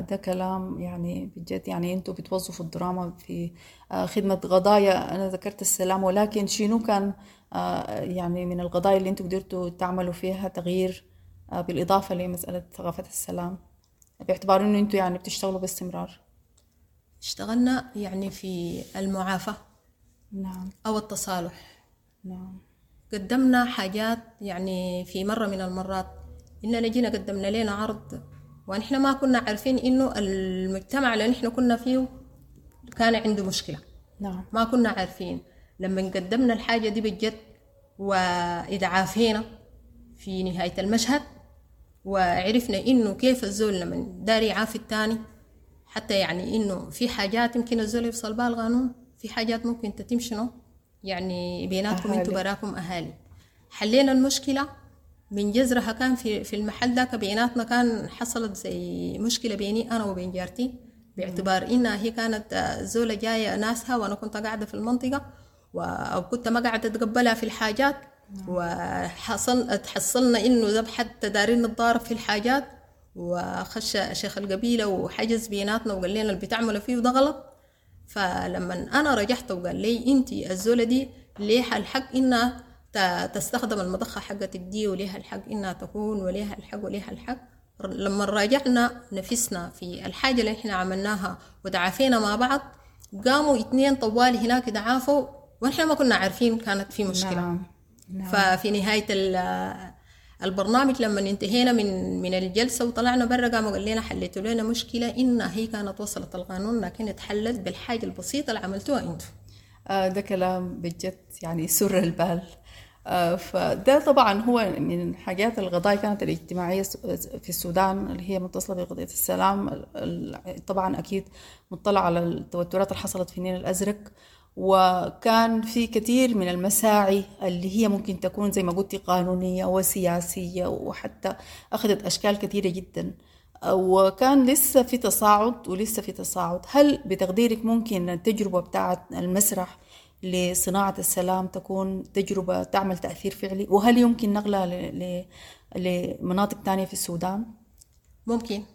ده كلام يعني بجد، يعني انتوا بتوظفوا الدراما في خدمة قضايا. أنا ذكرت السلام، ولكن شنو كان يعني من القضايا اللي انتوا قدرتوا تعملوا فيها تغيير بالإضافة لمسألة ثقافة السلام، باعتبار انه انتوا يعني بتشتغلوا باستمرار؟ اشتغلنا يعني في المعافاة. نعم. أو التصالح. نعم. قدمنا حاجات يعني في مرة من المرات إننا جينا قدمنا لنا عرض ونحن ما كنا عارفين إنه المجتمع اللي نحن كنا فيه كان عنده مشكلة. نعم. ما كنا عارفين. لما قدمنا الحاجة دي بجد وإدعافينا في نهاية المشهد وعرفنا إنه كيف الزول لما داري يعافي الثاني، حتى يعني إنه في حاجات يمكن الزول يفصل بها القانون، في حاجات ممكن تتم شنو يعني بيناتكم انتوا براكم أهالي. حلينا المشكلة من جذرها. كان في المحل ذاك بيناتنا كان حصلت زي مشكلة بيني أنا وبين جارتي، باعتبار إنها هي كانت زولة جاية ناسها وأنا كنت قاعدة في المنطقة أو كنت ما قاعدة أتقبلها في الحاجات، وحصل تحصلنا إنه ذبح حتى دارين نتضارب في الحاجات، وخش شيخ القبيلة وحجز بيناتنا وقال لنا اللي بتعملوا فيه ده غلط. فلما أنا رجعت وقال لي أنت الزولة دي ليها الحق إنها تستخدم المضخة حقتك دي، وليها الحق إنها تكون، وليها الحق وليها الحق. لما راجعنا نفسنا في الحاجة اللي إحنا عملناها وتعافينا مع بعض، قاموا 2 طوال هناك تعافوا ونحن ما كنا عارفين كانت في مشكلة. نعم. نعم. ففي نهاية البرنامج لما انتهينا من الجلسة وطلعنا برا، قاموا قال لنا حليتوا لنا مشكلة إن هي كانت وصلت القانون لكن اتحلت بالحاجة البسيطة اللي عملتوها انتوا. ده كلام بجد يعني سر البال. فده طبعا هو من حاجات القضايا كانت الاجتماعية في السودان اللي هي متصلة بقضية السلام. طبعا أكيد مطلع على التوترات اللي حصلت في النيل الأزرق، وكان في كثير من المساعي اللي هي ممكن تكون زي ما قلتي قانونية وسياسية، وحتى أخذت أشكال كثيرة جدا، وكان لسه في تصاعد ولسه في تصاعد. هل بتقديرك ممكن التجربة بتاعت المسرح لصناعة السلام تكون تجربة تعمل تأثير فعلي؟ وهل يمكن نقلها لمناطق تانية في السودان؟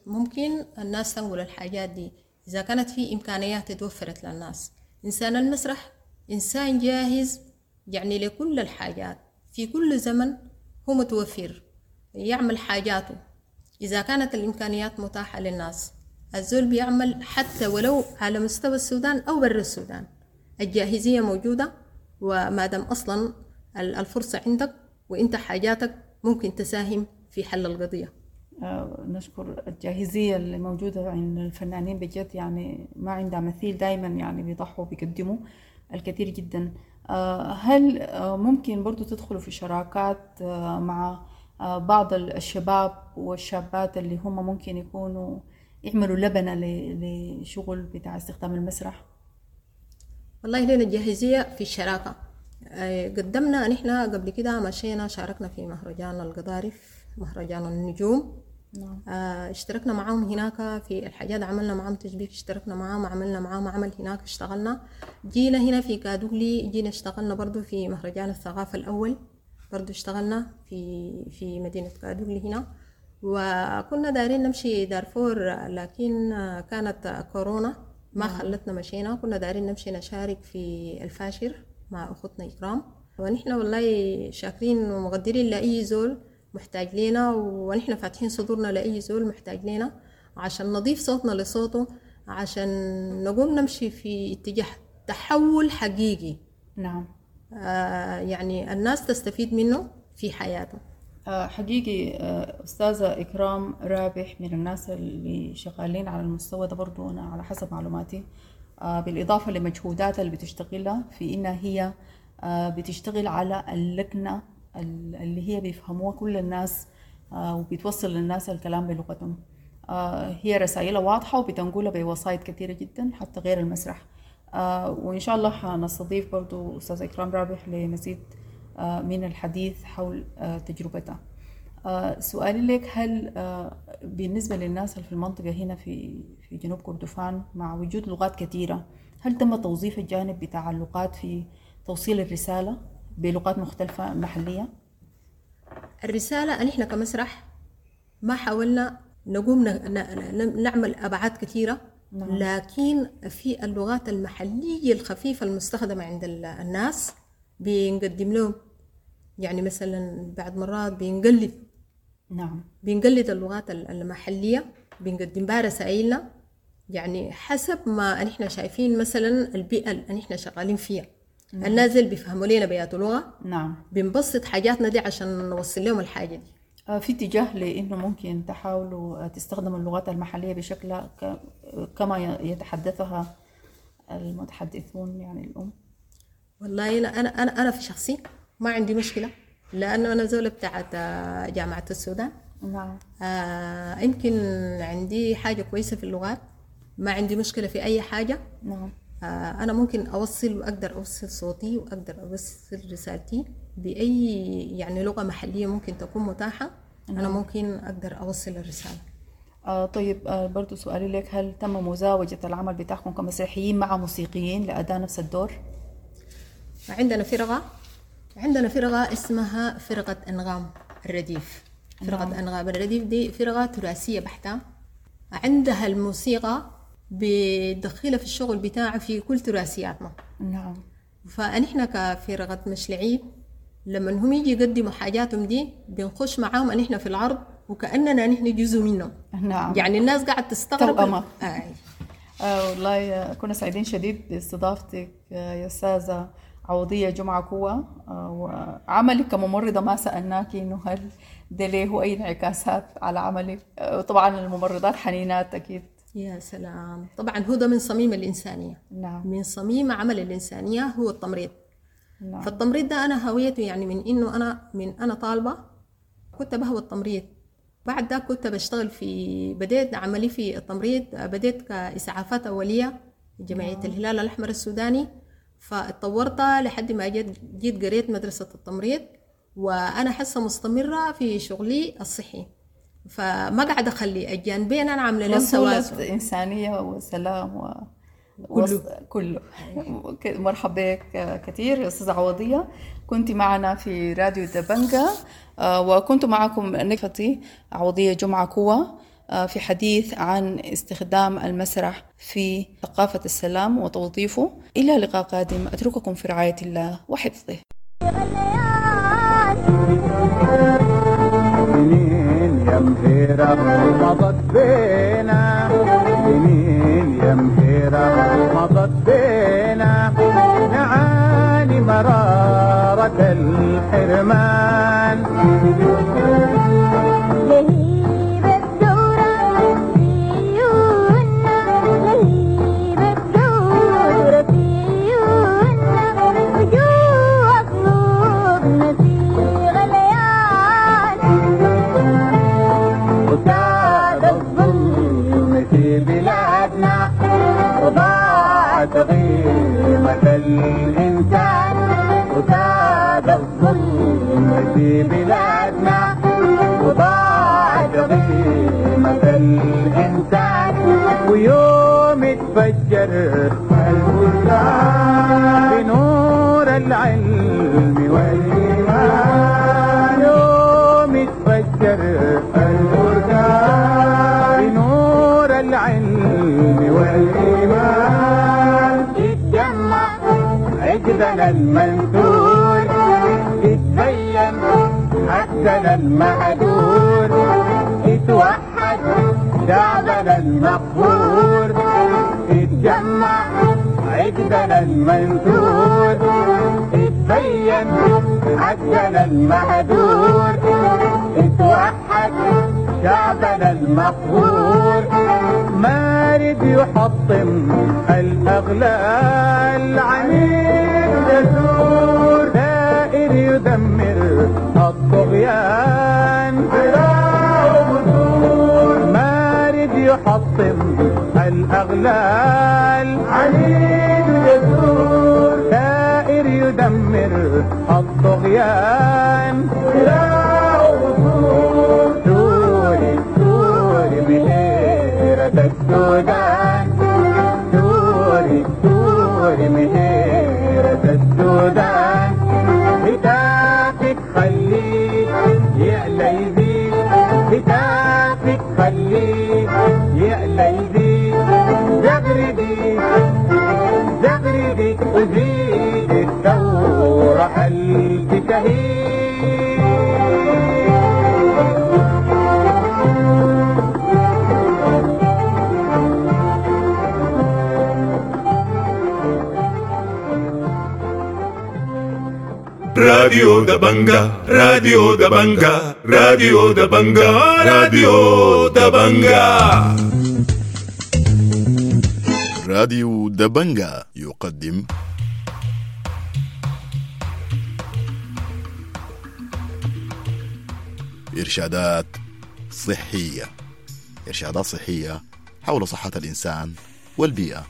ممكن الناس تنقل الحاجات دي إذا كانت في إمكانيات توفرت للناس. إنسان المسرح إنسان جاهز يعني لكل الحاجات، في كل زمن هو متوفر يعمل حاجاته إذا كانت الإمكانيات متاحة للناس. الزول بيعمل حتى ولو على مستوى السودان أو برا السودان، الجاهزية موجودة، وما دام أصلا الفرصة عندك وإنت حاجاتك ممكن تساهم في حل القضية. نشكر الجاهزية اللي موجودة عند الفنانين بجد، يعني ما عندها مثيل، دايما يعني بيضحوا بيقدموا الكثير جدا. هل ممكن برضو تدخلوا في شراكات مع بعض الشباب والشابات اللي هم ممكن يكونوا يعملوا لبنة لشغل بتاع استخدام المسرح؟ والله لنا الجاهزية في الشراكة. قدمنا نحن قبل كده، مشينا شاركنا في مهرجان القضارف، مهرجان النجوم. نعم. اشتركنا معاهم هناك في الحاجات، عملنا معاهم تشبيك، اشتركنا معاهم، عملنا معاهم عمل هناك، اشتغلنا. جينا هنا في كادوغلي، جينا اشتغلنا برضو في مهرجان الثقافة الأول، برضو اشتغلنا في مدينة كادوغلي هنا. وكنا دايرين نمشي دارفور، لكن كانت كورونا ما خلتنا مشينا. كنا دايرين نمشي نشارك في الفاشر مع أختنا إكرام. ونحن والله شاكرين ومقدرين لأي زول محتاج لنا، ونحن فاتحين صدورنا لأي زول محتاج لنا عشان نضيف صوتنا لصوته، عشان نقوم نمشي في اتجاه تحول حقيقي. نعم. يعني الناس تستفيد منه في حياتها. حقيقي أستاذة إكرام رابح من الناس اللي شغالين على المستوى ده برضو، أنا على حسب معلوماتي، بالإضافة لمجهوداتها اللي بتشتغلها في إنها هي بتشتغل على اللكنة اللي هي بيفهموها كل الناس، وبتوصل للناس الكلام بلغتهم. هي رسائلها واضحة وبتنقلها بوسائط كثيرة جدا حتى غير المسرح. وإن شاء الله حنستضيف برضو أستاذة إكرام رابح لمزيد من الحديث حول تجربتها. سؤالي لك، هل بالنسبة للناس اللي في المنطقة هنا في جنوب كردفان مع وجود لغات كثيرة، هل تم توظيف الجانب بتاع اللغات في توصيل الرسالة بلغات مختلفة محلية؟ الرسالة نحن كمسرح ما حاولنا نقوم نعمل أبعاد كثيرة. نعم. لكن في اللغات المحلية الخفيفة المستخدمة عند الناس بنقدم لهم، يعني مثلا بعد مرات بنقلد. نعم. بنقلد اللغات المحلية، بنقدم بها رسائلنا، يعني حسب ما نحن شايفين مثلا البيئة اللي نحن شغالين فيها. نعم. الناس اللي بيفهموا لنا بيات لغة. نعم. بنبسط حاجاتنا دي عشان نوصل لهم الحاجة دي. في اتجاه لأنه ممكن تحاولوا تستخدموا اللغات المحلية بشكل كما يتحدثها المتحدثون يعني الأم؟ والله أنا في شخصي ما عندي مشكلة، لأنه أنا زولة بتاعت جامعة السودان. نعم. يمكن عندي حاجة كويسة في اللغات، ما عندي مشكلة في أي حاجة. نعم. أنا ممكن أوصل وأقدر أوصل صوتي وأقدر أوصل رسالتي بأي يعني لغة محلية ممكن تكون متاحة. نعم. أنا ممكن أقدر أوصل الرسالة. طيب، برضو سؤالي لك، هل تم مزاوجة العمل بتاعكم كمسرحيين مع موسيقيين لأداء نفس الدور؟ عندنا فرقة اسمها فرقة أنغام الرديف. فرقة. نعم. أنغام الرديف دي فرقة تراثية بحتة، عندها الموسيقى بتدخلها في الشغل بتاعها في كل تراثياتنا. نعم. فنحن كفرقة مشلعين لما هم يجي يقدموا حاجاتهم دي بنخش معاهم نحن في العرض وكأننا نحن جزء منهم. نعم. يعني الناس قاعدة تستغرب. توأمة. والله كنا سعيدين شديد باستضافتك يا أستاذة عوضية جمعة كوة، وعملك كممرضة ما سألناك إنه هل ده له أي انعكاسات على عملك؟ طبعا الممرضات حنينات أكيد. يا سلام، طبعا هو ده من صميم الإنسانية. نعم. من صميم عمل الإنسانية هو التمريض. نعم. فالتمريض ده أنا هويته، يعني من إنه أنا من أنا طالبة كنت بهوى التمريض، بعد ده كنت بشتغل في، بديت عملي في التمريض، بديت كإسعافات أولية جمعية. نعم. الهلال الأحمر السوداني، فاتطورت لحد ما جيت قريت مدرسة التمريض، وأنا حاسة مستمرة في شغلي الصحي، فما قاعدة أخلي الجانبين، أنا عاملة لهم توازن. إنسانية وسلام كله. كله. مرحبا بك كثير يا أستاذة عوضية، كنت معنا في راديو دبنجة، وكنت معكم نفتي عوضية جمعة كوة في حديث عن استخدام المسرح في ثقافة السلام وتوظيفه. إلى لقاء قادم، أترككم في رعاية الله وحفظه. سنين يا مهيرة مضت بينا، سنين يا مهيرة مضت بينا، نعاني مرارة الحرمان. لهيب الثورة في عيوننا، لهيب الثورة في عيوننا، وجوه قلوبنا في غليان. بلادنا وضاعت قيمة الإنسان، ويوم اتفجر البركان بنور العلم والإيمان، يوم اتفجر البركان بنور العلم والإيمان، اتجمع عقدنا المنثور، اتبين حقنا المهدور، اتوحد شعبنا المقهور، اتجمع عقدنا المنثور، اتبين حقنا المهدور، اتوحد شعبنا المقهور، مارد يحطم الأغلال، عنيد جسور، دائر يدمر الطغيان، مارد يحطم الأغلال، عنيد جسور، دائر يدمر الطغيان، ثوري ثوري مهيرة السودان، ثوري ثوري مهيرة السودان، هتافك خليه يعلى يزيد، هتافك خليه يعلى يزيد، زغردي زغردي وزيد الثورة ألف شهيد. راديو دبنجا، راديو دبنجا، راديو دبنجا، راديو دبنجا. راديو دبنجا يقدم إرشادات صحية، إرشادات صحية حول صحة الإنسان والبيئة.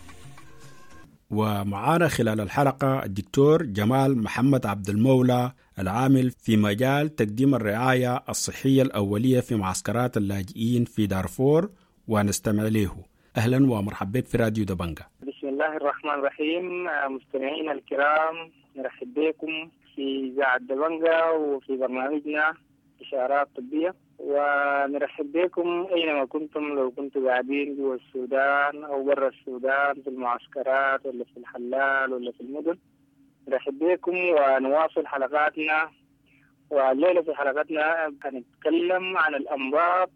ومعانا خلال الحلقة الدكتور جمال محمد عبد المولى، العامل في مجال تقديم الرعاية الصحية الأولية في معسكرات اللاجئين في دارفور، ونستمع له. أهلا ومرحبا بك في راديو دبنجا. بسم الله الرحمن الرحيم. مستمعينا الكرام، نرحب بكم في إذاعة دبنجا وفي برنامجنا إشارات طبية، ونرحب بكم أينما كنتم، لو كنتم قاعدين جوا السودان أو برا السودان، في المعسكرات ولا في الحلال ولا في المدن. نرحب بكم ونواصل حلقاتنا. والليلة في حلقتنا هنتكلم عن الأمراض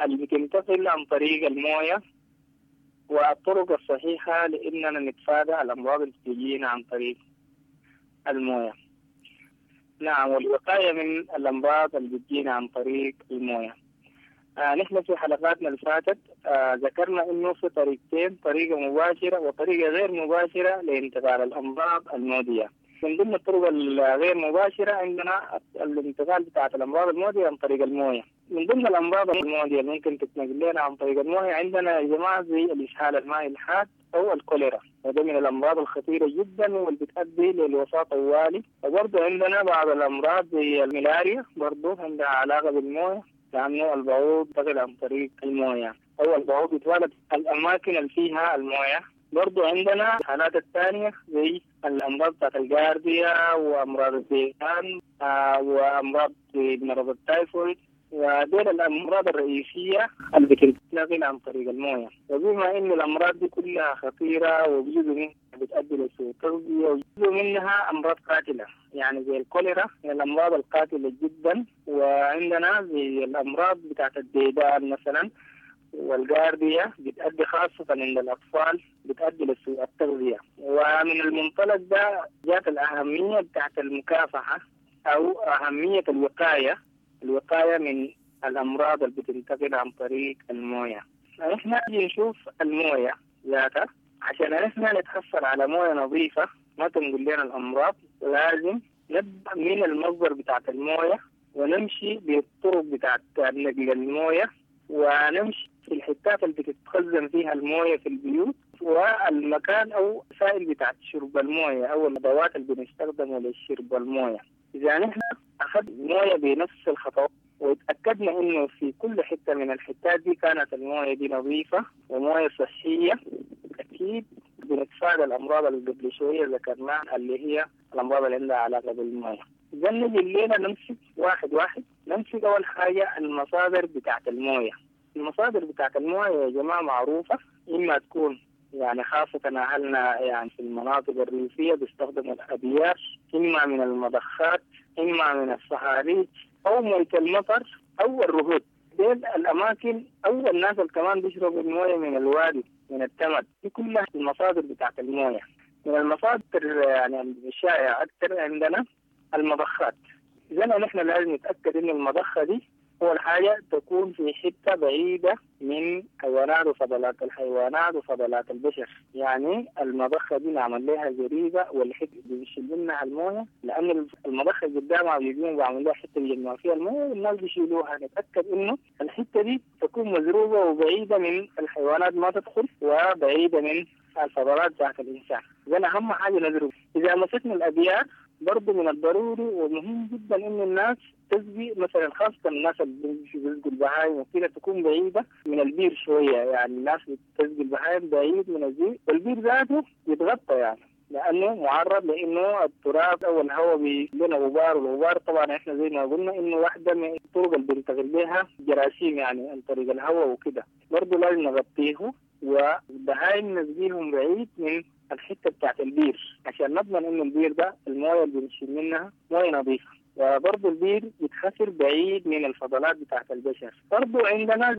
اللي بتنتقل عن طريق الموية والطرق الصحيحة لأننا نتفادى الأمراض اللي بتجينا عن طريق الموية. نعم، والوقاية من الأمراض اللي بتجينا عن طريق الموية. نحن في حلقاتنا اللي فاتت ذكرنا إنه في طريقتين، طريقة مباشرة وطريقة غير مباشرة لانتقال الأمراض المعدية. من ضمن الطرق الغير مباشرة عندنا الانتقال بتاعة الأمراض المعدية عن طريق الموية. من ضمن الأمراض المعدية اللي ممكن تتنقل لنا عن طريق الموية عندنا يا جماعة زي الإسهال المائي الحاد أو الكوليرا، وده من الأمراض الخطيرة جدا واللي بتؤدي للوفاة طوالي. وبرضه عندنا بعض الأمراض زي الملاريا، برضه عندها علاقة بالموية، لأنه البعوض ينتقل عن طريق الموية أو البعوض يتوالد الأماكن اللي فيها الموية. برضو عندنا الحالات الثانية زي الأمراض بتاعت الجارديا وأمراض الزيتان وأمراض مرض التايفويد، ودول الأمراض الرئيسية اللي بتنتقل عن طريق الموية. وبما إن الأمراض دي كلها خطيرة وجزء منها بتؤدي لسوء التغذية وجزء منها أمراض قاتلة، يعني زي الكوليرا من الأمراض القاتلة جدا، وعندنا زي الأمراض بتاعت الديدان مثلا والجارديا بتأدي خاصة عند الأطفال، بتأدي لسوء التغذية. ومن المنطلق ده جات الأهمية بتاعت المكافحة أو أهمية الوقاية، الوقاية من الأمراض اللي بتنتقل عن طريق الموية. نحن نشوف الموية ذاتها عشان نحن نتحصل على موية نظيفة ما تنقل لنا الأمراض، لازم نبدأ من المصدر بتاعت الموية ونمشي بالطرق بتاعت نقل الموية، ونمشي في الحتات اللي بتتخزن فيها الموية في البيوت، والمكان أو سائل بتاعت شرب الموية أو الأدوات اللي بنستخدمها لشرب الموية. إذا نحن أخذ موية بنفس الخطوات وتأكدنا إنه في كل حتة من الحتات دي كانت الموية دي نظيفة وموية صحية، أكيد بنتفادى الأمراض اللي قبل شوية ذكرناها اللي هي الأمراض اللي عندها علاقة بالموية. إذا نجي الليلة نمسك واحد واحد. نمسك أول حاجة المصادر بتاعت الموية. المصادر بتاعت الموية يا جماعة معروفة، إما تكون يعني خاصة أهلنا يعني في المناطق الريفية بيستخدموا الأبيار، إما من المضخات، إما من الصهاريج، أو موية المطر، أو الرهود. ديل الأماكن أو الناس اللي كمان بيشربوا الموية من الوادي من التمد. دي كلها المصادر بتاعت الموية. من المصادر يعني الشائعة أكثر عندنا المضخات. إذا نحن لازم نتأكد إن المضخة دي أول حاجة تكون في حتة بعيدة من حيوانات وفضلات الحيوانات وفضلات البشر. يعني المضخة دي نعمل لها زريبة والحتة بيشيل منها الموية، لأن المضخة قدامها بيجون بيعمل لها حتة بيجمعوا فيها الموية والناس بيشيلوها. نتأكد إنه الحتة دي تكون مزروبة وبعيدة من الحيوانات ما تدخل، وبعيدة من الفضلات بتاعت الإنسان. إذا أهم حاجة نزرب. إذا مسكنا الأبيار برضه من الضروري ومهم جدا إنه الناس تسقي مثلا، خاصة الناس اللي بيسقوا البهايم وكده تكون بعيدة من البير شوية. يعني الناس بتسقي البهايم بعيد من البير، والبير ذاته يتغطى يعني لأنه معرض لأنه التراب أو الهواء بيجينا غبار، والغبار طبعا إحنا زي ما قلنا إنه واحدة من الطرق اللي بننتقل بها جراثيم يعني عن طريق الهواء وكده. برضه لازم نغطيه، والبهايم نسقيهم بعيد من الحتة بتاعت البير عشان نضمن إنه البير ده الموية اللي بنشيل منها موية نظيفة. وبرضه البير يتخسر بعيد من الفضلات بتاعت البشر. برضه عندنا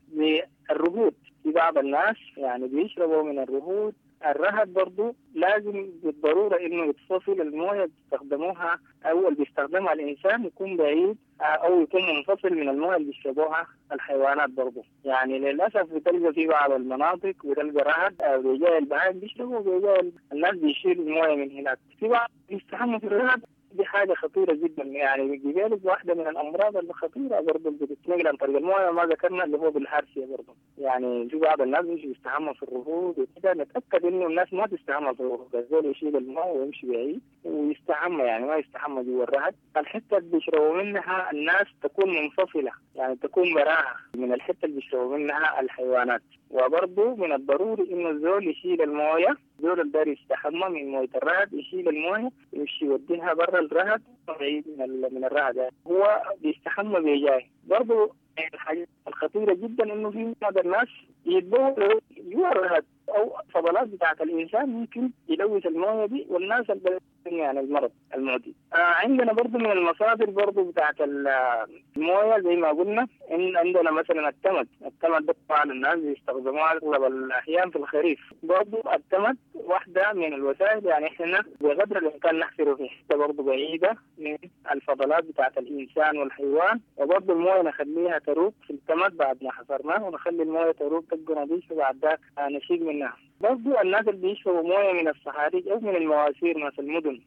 الرهود، في بعض الناس يعني بيشربوا من الرهود. الرهد برضه لازم بالضرورة إنه يتفصل الموية بيستخدموها أو اللي بيستخدمها الإنسان يكون بعيد أو يكون منفصل من الموية اللي بيشربوها الحيوانات برضه. يعني للأسف بتلقى في بعض المناطق بتلقى رهد أو بيجاي البهائم بيشربوا وبيجاي الناس بيشيلوا الموية من هناك. في بعض بيستحموا في الرهد، دي حاجة خطيرة جدا. يعني بيجيلك واحدة من الأمراض الخطيرة برضه اللي بتتنقل عن طريق الموية ما ذكرنا اللي هو بالهارسية برضه. يعني في بعض الناس بيمشي يستحمى في الرهود وكده. نتأكد إنه الناس ما تستحمى في الرهود، الزول يشيل الماء ويمشي بعيد ويستحمى، يعني ما يستحمى جوا الرهد. الحتة اللي بيشربوا منها الناس تكون منفصلة، يعني تكون براها من الحتة اللي بيشربوا منها الحيوانات. وبرضه من الضروري إنه الزول يشيل الموية، الزول اللي داير يستحمى من موية الرهد يشيل الموية يمشي يوديها برا الرهد بعيد من الرهد، يعني هو بيستحمى بيجاي. برضه الحاجة الخطيرة جدا إنه في بعض الناس يتبولوا جوا الرهد أو فضلات بتاعت الإنسان ممكن يلوث الموية دي والناس اللي يعني المرض المعدي. عندنا برضو من المصادر برضو بتاعت الموية زي ما قلنا إن عندنا مثلا التمد. التمد طبعا الناس بيستخدموها أغلب الأحيان في الخريف. برضو التمد واحدة من الوسائل، يعني إحنا بقدر الإمكان نحفره في حتة برضو بعيدة من الفضلات بتاعت الإنسان والحيوان، وبرضو الموية نخليها تروب في التمد بعد ما حفرناه، ونخلي الموية تروب تبقى نظيفة بعد ذاك نشيل منها. برضو الناس اللي بيشربوا موية من الصهاريج أو من المواسير ما في المدن،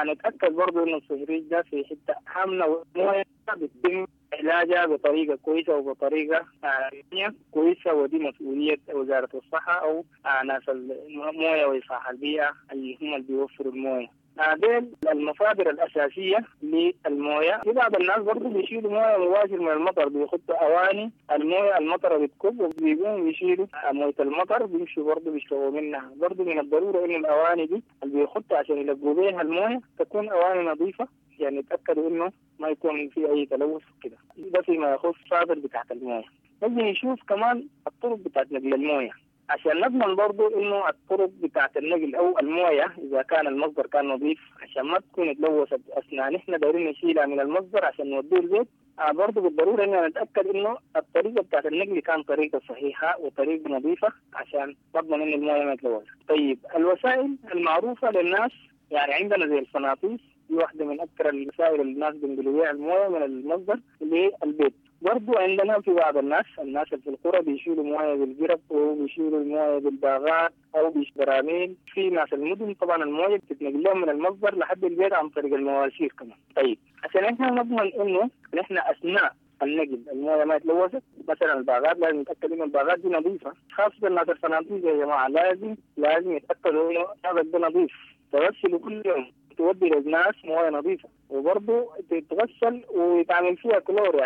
نتأكد برضو إنه الصهريج ده في حتة حاملة والموية بيتم علاجها بطريقة كويسة وبطريقة كويسة، ودي مسؤولية وزارة الصحة أو ناس الموية وإصلاح البيئة اللي هم اللي بيوفروا الموية. ديل المصادر الأساسية للموية. في بعض الناس برضو بيشيلوا موية مباشر من المطر، بيخطوا أواني الموية المطر بتكب وبيقوموا بيشيلوا موية المطر بيمشوا برضو بيشربوا منها. برضو من الضرورة إنه الأواني دي اللي بيخطوا عشان يلقوا بيها الموية تكون أواني نظيفة، يعني يتأكدوا إنه ما يكون في أي تلوث كده. ده فيما يخص المصادر بتاعت الموية. نجي نشوف كمان الطرق بتاعت نقل الموية عشان نضمن برضو إنه الطرق بتاعت النقل أو الموية إذا كان المصدر كان نظيف عشان ما تكون تلوثت أثناء نحن دايرين نشيلها من المصدر عشان نوديه البيت. برضو بالضرورة إننا نتأكد إنه الطريقة بتاعت النقل كان طريقة صحيحة وطريقة نظيفة عشان نضمن إنه الموية ما تلوث. طيب الوسائل المعروفة للناس يعني عندنا زي الفناطيس، دي واحدة من أكثر الوسائل اللي الناس بينقلوا بيها الموية من المصدر للبيت. برضو عندنا في بعض الناس اللي في القرى بيشيلوا مويه بالجرب وبيشيلوا المويه بالباغات او بالبراميل. في ناس المدن طبعا المويه بتتنقل لهم من المصدر لحد البيت عن طريق المواسير كمان. طيب عشان احنا نضمن انه نحن اثناء النقل المويه ما تلوثت، مثلا الباغات لازم نتاكد انه الباغات دي نظيفه، خاصه الناس الفنادق يا جماعه لازم يتاكدوا انه هذا ده نظيف، تغسلوا كل يوم. تودي للناس مويه نظيفة، وبرضه تتغسل ويتعمل فيها كلور.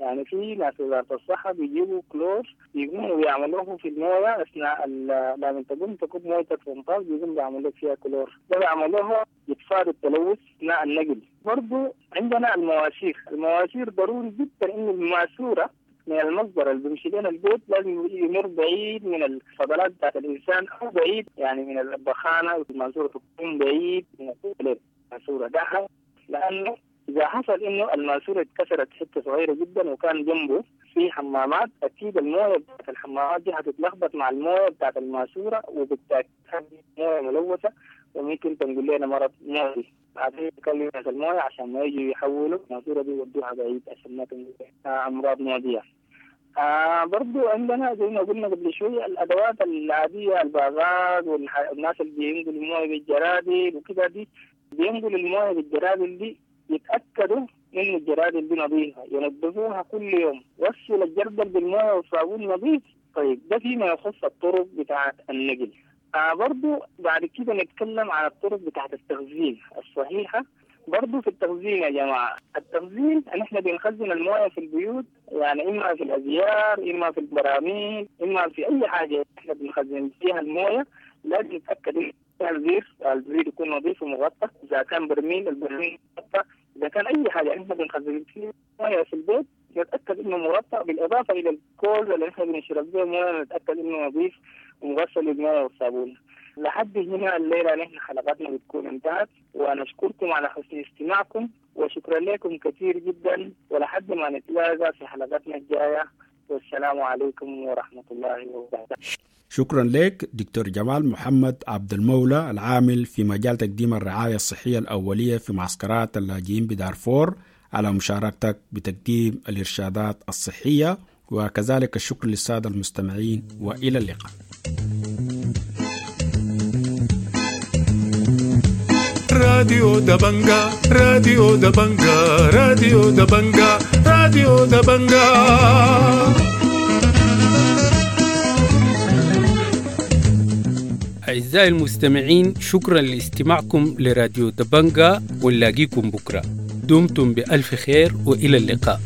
يعني في ناس وزارة الصحة بيجيبوا كلور يقوموا بيعملوه في المويه اثناء لما تقوم تكب مويتك في المطار بيقوم بيعملوا لك فيها كلور، ده بيعملوها يتفادوا التلوث اثناء النقل. برضه عندنا المواسير ضروري جدا انه الماسورة من المصدر اللي بيمشي لنا البيت لازم يمر بعيد من الفضلات بتاعت الانسان او بعيد يعني من البخانه، الماسورة تكون بعيد من الماسورة ده، لانه اذا حصل انه الماسورة اتكسرت حتة صغيرة جدا وكان جنبه في حمامات، اكيد المويه بتاعت الحمامات دي هتتلخبط مع المويه بتاعت الماسورة، وبالتاكيد مويه ملوثة وممكن تنقل لنا مرض معدي. بعدين نكلم ناس المويه عشان ما يجوا يحولوا الماسورة دي يودوها بعيد عشان ما تنقل امراض معدية. برضو عندنا زي ما قلنا قبل شوية الأدوات العادية، الباغات والناس اللي بينقلوا الموية بالجرادل وكده، دي بينقلوا الموية بالجرادل دي يتأكدوا إنه الجرادل دي نظيفة، ينظفوها كل يوم، غسل الجردل بالموية والصابون نظيف. طيب ده فيما يخص الطرق بتاعة النقل. برضو بعد كده نتكلم عن الطرق بتاعة التخزين الصحيحة. برضو في التخزين يا جماعة، التخزين نحن بنخزن الموية في البيوت، يعني إما في الأزيار، إما في البراميل، إما في أي حاجة نحن بنخزن فيها الموية. لازم نتأكد إن الزير يكون نظيف ومغطى، إذا كان برميل البرميل مغطى، إذا كان أي حاجة نحن بنخزن فيها موية في البيت نتأكد إنه مغطى، بالإضافة إلى الكوز اللي نحن بنشرب به موية نتأكد إنه نظيف ومغسل بالموية والصابون. لحد هنا الليلة نحن حلقتنا بتكون انتهت، ونشكركم على حسن استماعكم وشكرا لكم كثير جدا، ولحد ما نتلاقى في حلقتنا الجاية، والسلام عليكم ورحمة الله وبركاته. شكرا لك دكتور جمال محمد عبد المولى العامل في مجال تقديم الرعاية الصحية الأولية في معسكرات اللاجئين بدارفور على مشاركتك بتقديم الإرشادات الصحية، وكذلك الشكر للسادة المستمعين، وإلى اللقاء. راديو دبنجا، راديو دبنجا، راديو دبنجا، راديو دبنجا. أعزائي المستمعين، شكرا لاستماعكم لراديو دبنجا، ونلاقيكم بكرة. دمتم بألف خير وإلى اللقاء.